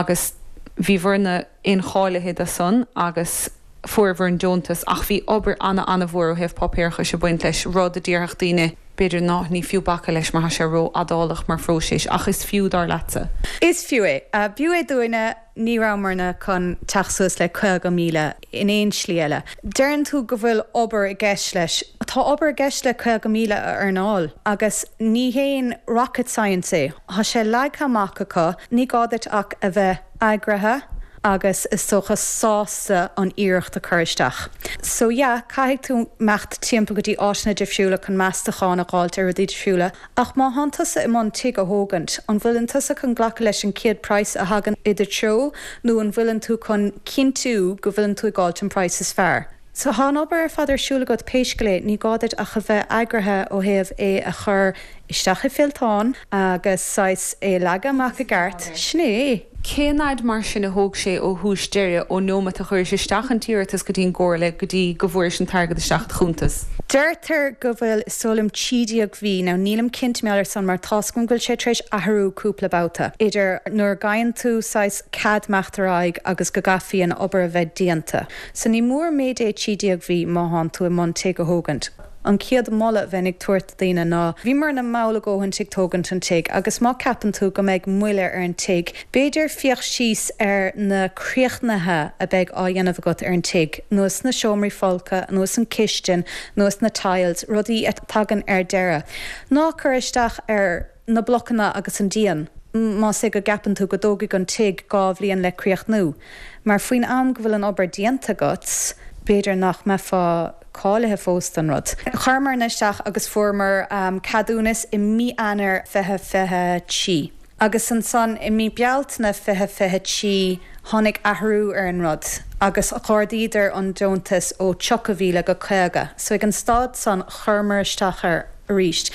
agus bhí bhur-na incháilithe do san agus fuair bhur an deontas ach bhí obair ana-ana-mhór ó thaobh páipéarachais ag baint leis, rud a déarfadh daoine b'fhéidir ná ní fiú bacadh leis mar tá sé rófhadálach mar phróiseas ach is fiú dar leatsa. Is fiú é. B'fhiú é dúinne, ní rabhamarna chun teacht suas le caoga míle in aon slí eile. Deireann tú go bhfuil obair i gceist leis. Tá obair i gceist le caoga míle a earnáil agus ní haon rocket science é. Tá sé leagtha amach acu, ní gá duit ach a bheith eagraithe agus is dócha sásta an iarracht a chur isteach. So yeah, caithfidh tú imeacht timpeall go dtí áiteanna difriúla chun meastachán a dh'fháilt ar rudaí difriúla, ach má thánn tusa i mbun tigh a thógaint, an bhfuileann tusa chun glacadh leis an chéad price a thagann i do threo nó an bhfuileann tú chun cinntiú go bhfuileann tú ag fháilt an price is fearr? So tá an obair ar fad ar siúl agat pé scéal é, ní gá duit ach a bheith eagraithe ó thaobh é a chur isteach i bhfillteán agus saghas é a leagadh amach i gceart. Sin é. Cén fhad mar sin a thóg sé ó thús deireadh, ón nóiméad a chuiris isteach an t-iarratas go dtí an gcomhairle go dtí go bhfuairis an t-airgead isteach i do chuntas? Deirtear go bhfuil, is dóigh liom, trí déag mhí. Now nílim cinnte mar gheall ar san mar tá's agam go bhfuil sé tar éis athrú cúpla babhta, idir nuair a fhaigheann tú saghas cead imeacht ar aghaidh agus go gcaithfí an obair a bheith déanta. So ní mór méid é trí déag mhí má thánn tú i mbun tigh a thógaint. An chéad mholadh a bheinn ag tabhairt do dhaoine ná, bhíomarna mall a dhóthain ag tógaint an tigh agus má ceapann tú go mbeidh moille ar an tigh, b'fhéidir féach síos ar na críochnaithe a beidh á dhéanamh agat ar an tigh, nós na seomraí folctha, nós an chistin, nós na tiles, rudaí a tagann ar deireadh. Ná cuir isteach ar na blocanna agus an díon más é go gceapann tú go dtógfaidh an tigh dhá bhliain le críochnú, mar faoin am go bhfuil an obair déanta agat, b'fhéidir nach mbeifeá cáilithe fós don rud. Chuireamarna isteach agus fuaireamar ceadúnas i mí Eanáir fiche fiche trí. Agus ansan i mí Bealtaine fiche fiche trí tháinig athrú ar an rud agus d'ardaíodar an deontas ó tríocha mhíle go caoga. So ag an staid san chuireamar isteach air arís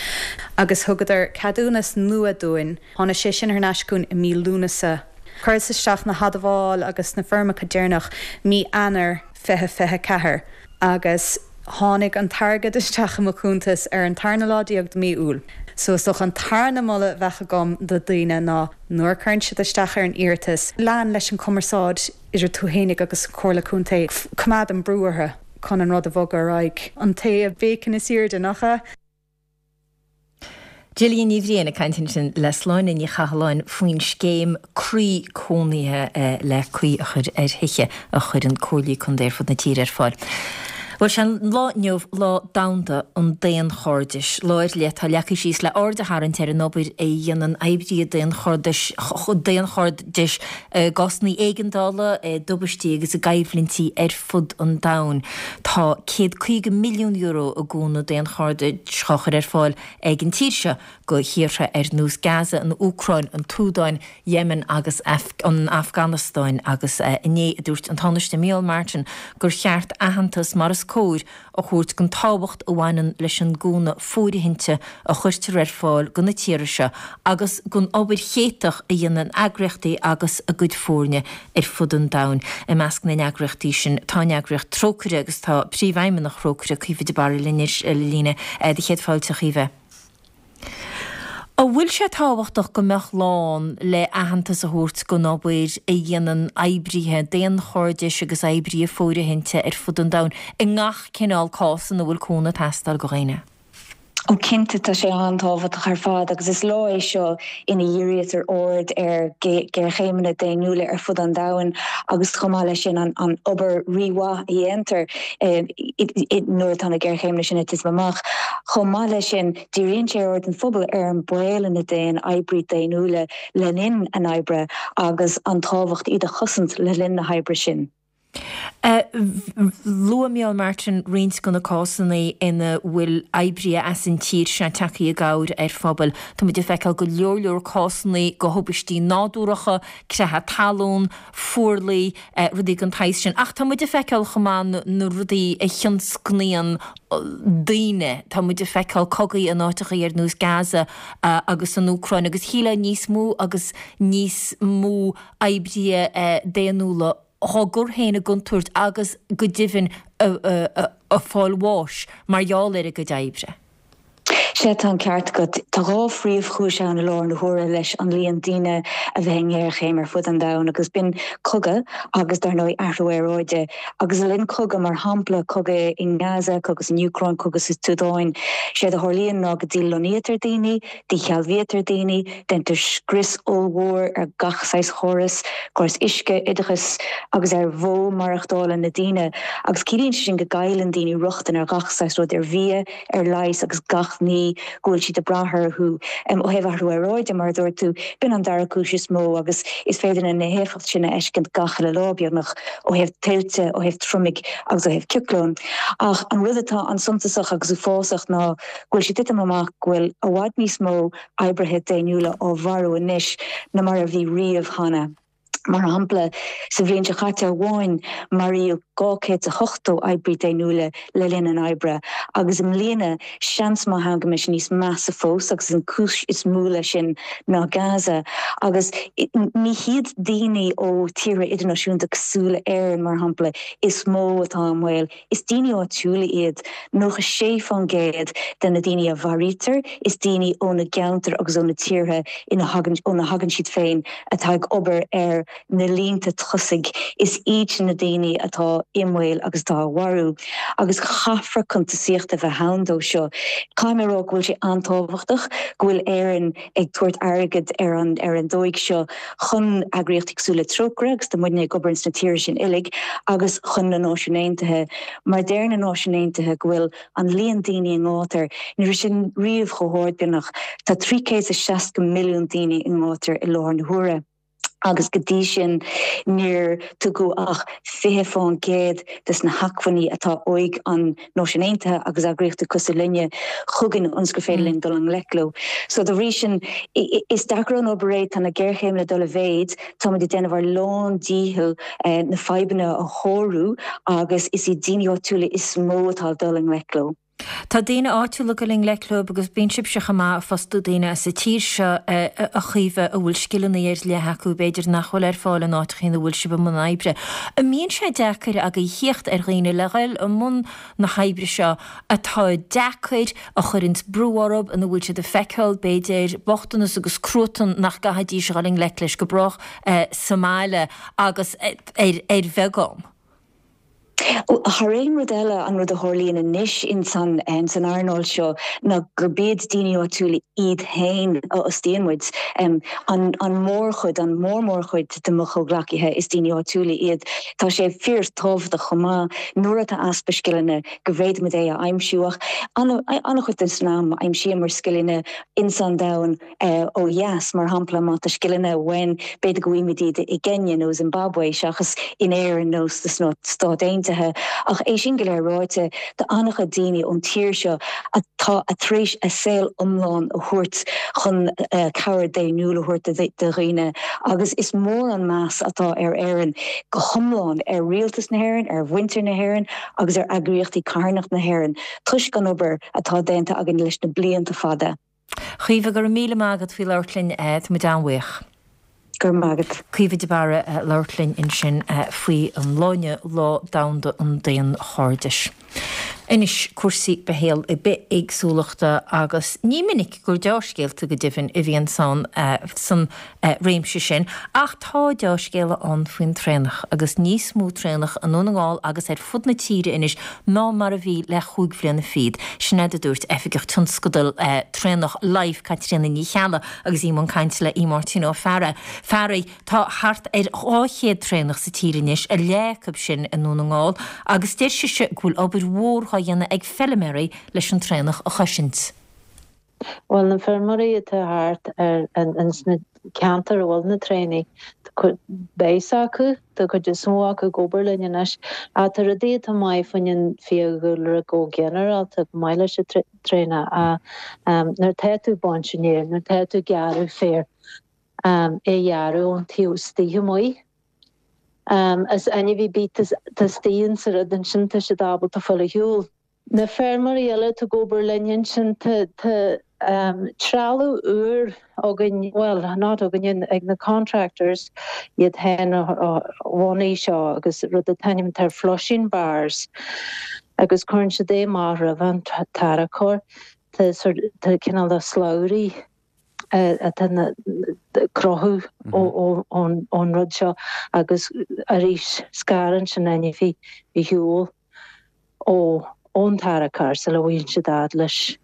agus thugadar ceadúnas nua dúinn. Tháinig sé sin thar n-ais chugainn i mí Lúnasa. Chuireas isteach na hadmháil agus na foirmeacha deireanach mí Eanáir fiche fiche ceathair agus tháinig an t-airgead isteach i mo chuntas ar an tarna lá déag de mí Iúil. So is dócha an tarna moladh a bheadh agam do daoine ná nuair a chuireann siad isteach ar an iarratas, lean leis an chumarsáid idir tú fhéinig agus an Chomhairle Contae, coimeád an brú orthu chun an rud a bhogadh ar aghaidh. An té a bhéiceann is airde, nach ea? Gillian Ní Bhriain ag caint ansin le Sláine Ní Chathalláin faoin scéim croí cónaithe le caoi a chur ar thithe a chuireann comhairlí contae ar fud na tíre ar fáil. Bhuel sé an lá inniu lá domhanda an daonchairdis. Lá ar leith atá leagtha síos le aird a tharraingt ar an obair a dhéanann oibrithe daonchairdis daonchairdis i gcásanna éigeandála, i dtubaistí agus i gcoimhlintí ar fud an domhain. Tá céad caoga milliún euro i gcúnamh daonchairdis á chur ar fáil ag an tír seo go thíortha ar nós Gaza, an Úcráin, an tSúdáin, Yemen agus an Afganastáin agus inné a dúirt an Tánaiste Micheál Martin gur cheart aitheantas mar is cóir a thabhairt don tábhacht a bhaineann leis an gcúnamh fóirithinte a chuirtear ar fáil do na tíortha seo agus don obair chéatach a dhéanann eagraíochtaí agus a gcuid foirne ar fud an domhain. I measc na n-eagraíochtaí sin tá an eagraíocht Trócaire agus tá príomhfheidhmeannach Thrócaire, Caoimhe de Barra linn anois ar líne. Do chéad fáilte, a Chaoimhe. An bhfuil sé tábhachtach go mbeadh lá ann le aitheantas a thabhairt don obair a dhéanann oibrithe daonchairdis agus oibrithe fóirithinte ar fud an domhain i ngach cineál cás ina bhfuil cúnamh ag teastáil do dhaoine? Ó cinnte tá sé an-tábhachtach ar fad agus is lá é seo ina dhírítear aird ar ghéarchéimeanna daonnúla ar fud an domhain agus chomh maith leis sin an an obair rímhaith a dhéantar nuair atá na géarchéimeanna sin ag titim amach. Chomh maith leis sin díríonn sé aird an phobail ar an baol ina dtéann oibrithe daonnúla le linn a n-oibre agus an tábhacht iad a chosaint le linn na hoibre sin. Luaigh Micheál Martin roinnt de na cásanna ina bhfuil oibrithe as an tír seo tagtha i gcabhair ar phobail. Tá muid ag feiceáil go leor leor cásanna de thubaistí nádúrtha, creathadh talún, fuarlaigh, rudaí den tsaghas sin. Ach tá muid ag feiceáil chomh maith na rudaí a thionscnaíonn daoine. Tá muid ag feiceáil cogaí in áiteacha ar nós Gaza agus an Úcráin agus shílfeá níos mó agus níos mó oibrithe daonnúla á gcur féin i gcontúirt agus go deimhin ag fáil bháis mar gheall ar a gcuid oibre. Sea, tá an ceart agat. Tá dhá phríomhchúis ann i láthair na huaire leis an líon daoine a bheith i ngéarchéim ar fud an domhain agus b'in cogadh agus dar ndóigh athrú aeráide. Agus le linn cogadh, mar shampla cogadh i nGaza, cogadh san Úcráin, cogadh sa tSúdáin, séard a tharlaíonn ná go dílonnaítear daoine, díshealbhaítear daoine, Déantar scrios ollmhór ar gach saghas chóras, córas uisce, oideachas agus ar mhodh maireachtála na daoine agus ciallaíonn sé sin go gcailleann daoine rochtain ar gach saghas rud, ar bhia, ar leigheas agus gach ní go bhfuil siad ag brath orthu. Ó thaobh athrú aeráide, mar a dúirt tú, b'in an dara cúis is mó agus is féidir linn na héifeachtaí sin a fheiscint gach uile lá, beagnach, ó thaobh tuilte, ó thaobh triomaigh agus ó thaobh cioclóin. Ach an rud atá an-suntasach agus uafásach ná go bhfuil sé ag titim amach go bhfuil i bhfad níos mó oibrithe daonnúla á mharú anois ná mar a bhí riamh cheana. Mar shampla, sa bhliain seo caite amháin, maraíodh dhá chéad is a hochtó oibrí daonnúla le linn a n-oibre, agus i mbliana, seans maith ann go mbeidh sé níos measa fós, agus an cúis is mó leis sin ná Gaza. Agus ní hiad daoine ó tíortha idirnáisiúnta cosúil le Éirinn, mar shampla, is mó atá i mbaol. Is daoine áitiúla iad nócha sé fán gcéad de na daoine a mharaítear, is daoine ó na gceantair agus ó na tíortha ina thagann óna thagann siad féin atá ag obair ar na línte tosaigh. Is iad sin na daoine atá i mbaol agus atá á mharú. Agus caithfear cuntasaíocht a bheith ann dó seo. Caithfidh mé a rá go bhfuil sé an-tábhachtach go bhfuil Éirinn ag tabhairt airgead ar an ar an dóigh seo chun eagraíochtaí cosúil le Trócaire agus tá muidne ag obair ins na tíortha sin uilig agus chun na Náisiún Aontaithe mar deir na Náisiúin Aontaithe go bhfuil an líon daoine i ngátar, ní raibh sin riamh chomh hard beagnach, tá trí chéad is seasca milliún daoine i ngátar i láthair na huaire agus go dtí sin níor tugadh ach fiche fán gcéad des na hacmhainní atá ag an Náisiúin Aontaithe agus eagraíochtaí cosúil linne chugainn ionas gur féidir linn dul i ngleic leo. So dá bhrí sin is deacair an obair é, tá na géarchéimeanna ag dul i mhéid, Táimid ag déanamh ár lán díchill na fadhbanna a shárú agus is iad daoine áitiúla is mó atá ag dul i ngleic leo. Tá daoine áitiúla ag dul i ngleic leo agus bíonn sibhse chomh maith ag fostú daoine as an tír seo a Chaoimhe a bhfuil scileanna ar leith acu b'fhéidir nach bhfuil ar fáil in áiteacha ina bhfuil sibh i mbun oibre. An mbíonn sé deacair agaibh theacht ar dhaoine le dhul i mbun na hoibre seo atá deacair, a chuireanns brú orthu, ina bhfuil siad ag feiceáil, b'fhéidir, bochtanas agus cruatan nach gcaithfidís a dhul i ngleic leis go brách sa mbaile agus ar ar bheagán. Thar aon rud eile, an rud a tharlaíonn anois ins an san earnáil seo ná gurb iad daoine áitiúla iad féin a fhostaíonn muid. An an mórchuid, an mhór-mhórchuid de mo chomhghleacaithe, is daoine áitiúla iad. Tá sé fíor-tábhachtach chomh maith nuair atá easpa scileanna go bhféadfaimid é a aimsiú ach an-chuid den am aimsíomar scileanna ins an domhan ó dheas, mar shampla má tá scileanna uainn b'fhéidir go bhfaighimid iad i gCenyia nó Zimbabwe seachas in Éirinn nó sna Stáit Aontaithe. Ach é sin go léir ráite, tá an-chuid daoine ón tír seo atá tar éis a saol iomlán a thabhairt chun cabhair daonnúil a thabhairt do dhaoine agus is mór an meas atá ar Éirinn go hiomlán, ar rialtas na hÉireann, ar mhuintir na hÉireann agus ar eagraíochtaí carthanachta na hÉireann toisc an obair atá déanta againn leis na blianta fada. Caoimhe, go raibh míle maith agat faoi labhairt linn, tá muid an-bhuíoch. Go raibh maith agat. Caoimhe de Barra ag labhairt linn ansin faoi an lá inniu, Lá Domhanda an Daonchairdis. Anois cúrsaí bithéagsúlachta agus ní minic gur dea-scéalta go deimhin a bhíonn san san réimse sin, ach tá dea-scéala ann faoin traonach agus níos mó traonach i nDún na nGall agus ar fud na tíre anois ná mar a bhí le chúig bhliana fichead. Sin é a dúirt Oifigeach Tionscadail Traonach Life, Caitríona Ní Cheallaigh agus í i mbun cainte le Aodh Máirtín Ó Fearraigh. Tá thart ar dhá chéad traonach sa tír anois, a leath acu sin i nDún na nGall, agus deir sise go bhfuil obair mhór dhá dhéanamh ag feilméaraí leis an traonach a chosaint. Bhuel, na feirmeoirí atá thart ar ins na ceantair a bhfuil na traonaigh, tá beidh acu, tá cuid is mó acu ag obair linn anois. Ach tá rudaí atá maith faoin an fiadhúlra go ginearálta, go maith leis an traonach, nuair atá tú ag baint an fhéir, nuair atá tú ag gearradh féir, é a ghearradh ón taobh istigh amuigh. Is ainmhí bith tá istigh insa rud ansin, tá siad ábalta fáil ar shiúl. Na feirmeoirí eile atá ag obair linn ansin, tá trealamh úr againn, bhuel, not againn, ag na contractors iad féin a bhunaigh seo agus rud atá ainmnithe flushing bars agus cuireann siad é amach roimh an tarracóir. Tá tá cineál de slabhraí atá ag cruthú ón rud seo agus arís scarann sin ainmhí ar shiúl ón tarracóir sula bhfaigheann siad fhad leis.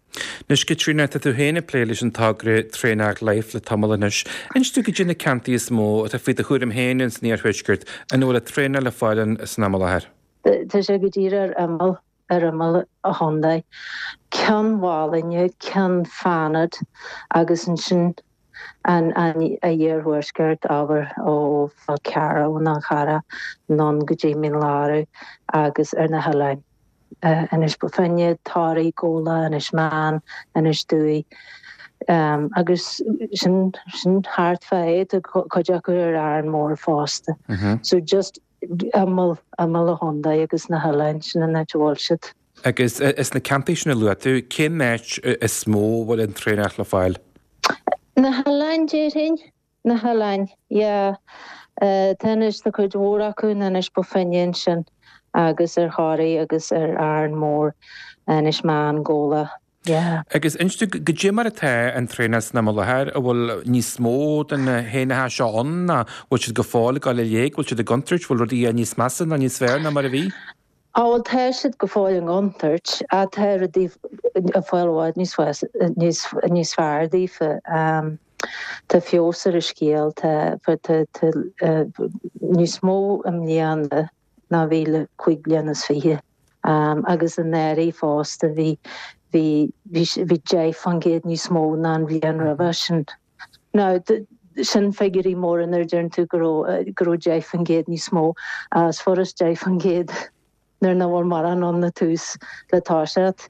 Anois Caitríona, tá tú féin ag plé leis an togra Traonach Life le tamall anois. Inis dúinn goidé na ceantair is mó atá faoi do chúram féin ins an iarthuaisceart ina bhfuil an traonach le fáil ann san am i láthair. Tá sé go díreach ar imeall ar imeall an chontae. Ceann Mhálainne, Ceann Fánaid agus ansin an iarthuaisceart, abair ó Fhál Carrach, ón Fhál Charrach anonn go dtí Mín Lárach agus ar na hoileáin. Inis Bó Finne, Toraigh, Gabhla, Inis Meáin, Inis Dúi. Agus sin sin thart fá é, tá cuid acu ar Árainn Mhór fosta. So just imeall imeall an chontae agus na hoileáin, sin an áit a bhfuil siad. Agus is na ceantair sin a luaigh tú, cén áit is mó a bhfuil an traonach le fáil? Na hoileáin, déarfainn. Na hoileáin, yeah. Tá anois, tá cuid mhór acu in Inis Bó Finne ansin agus ar Thoraigh agus ar Árainn Mhór, Inis Meáin, Gabhla, yeah. Agus inis dúinn, goidé mar atá an traonach san am i láthair, an bhfuil níos mó de na héanacha seo ann nó bhfuil siad go fóill ag dul i léig, bhfuil siad i gcontúirt, bhfuil rudaí níos measa nó níos fearr ná mar a bhí? Á bhuel tá siad go fóill i gcontúirt ach tá rudaí ag fáil i bhfad níos níos níos fearr daofa. Tá feabhas ar an scéal, tá tá tá níos mó i mbliana ná bhí le cúig bliana is fiche. Agus anuraidh fosta bhí bhí bhí bhí deich faoin gcéad níos mó ná an bhliain roimhe sin. Now sin figiúirí móra nuair a deireann tú go raibh go raibh deich faoin gcéad níos mó is furast deich faoin gcéad nuair nach bhfuil mórán ann ag tús le toiseacht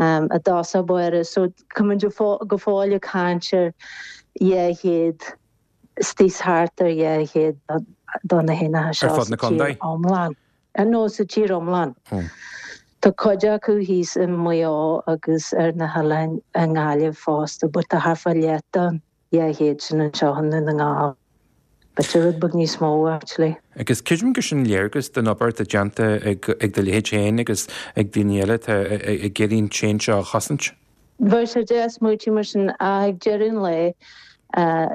i dtosach báire. So tá muid go fóill ag caint ar dhá chéad istigh thart ar dhá chéad do na héanacha seo sa tír iomlán. No, sa tír iomlán. Tá cuid acu thíos i Maigh Eo agus ar na hoileáin i nGaillimh fosta but tá thart fá leath den dhá chéad sin anseo i nDún na nGall. B'fhéidir rud beag níos mó actually. Agus creidim gur sin léargas den obair atá déanta ag ag do leithéid féin agus ag daoine eile atá ag iarraidh an tréan seo a chosaint. Bheadh sé deas smaoitiú mar sin ach ag deireadh an lae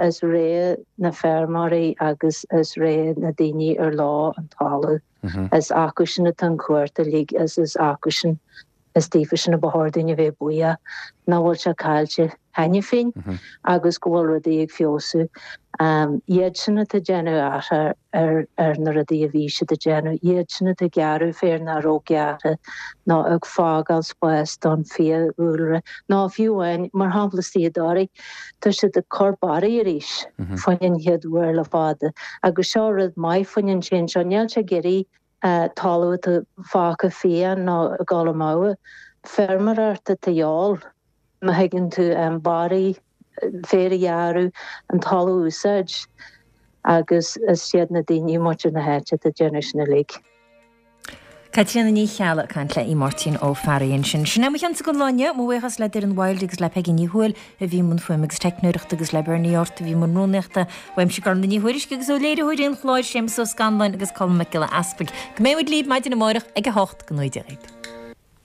is rogha na feirmeoirí agus is rogha na daoine ar leo an talamh. Is acu sin atá an chumhacht uilig is is acu sin Is daofa sin a ba chóir dúinn a bheith buíoch nach bhfuil sé caillte cheana féin agus go bhfuil rudaí ag feabhsú. Iad sin atá ag déanamh athrá ar ar na rudaí a bhí siad ag déanamh, iad sin atá ag gearradh féar nach raibh gearrtha nó ag fágáil spás don fiadhúlra nó fiú amháin, mar shampla istigh i dToraigh, tá siad ag cur barraí arís faoin an chéad uair le fada agus seo rud maith faoin an tséan seo, níl sé ag iarraidh talamh atá fágtha fiáin nó ag dul amú. Feirmeoireacht atá de dhíobháil, má thuigeann tú, barraí, féar a ghearradh, an talamh a úsáid agus is iad na daoine, muintir na háite atá ag déanamh sin uilig. Caitríona Ní Cheallaigh ag caint le Aodh Máirtín Ó Fearraigh ansin. Sin é mo cheannsa don lá inniu. Mo bhuíochas le Doireann Wilde agus le Peigí Ní Thuathail a bhí i mbun fuaime agus teicneoireachta agus le Bernie Ort a bhí i mbun rúnaíochta. Uaimse Gormfhlaith Ní Thuairisg agus ó léiritheoirí an chláir, Séamus Ó Scanláin agus Colm Mac Giolla Easpaig. Go mbeidh muid libh maidin amárach ag a hocht. Go ngnóthaí Dia dhaoibh.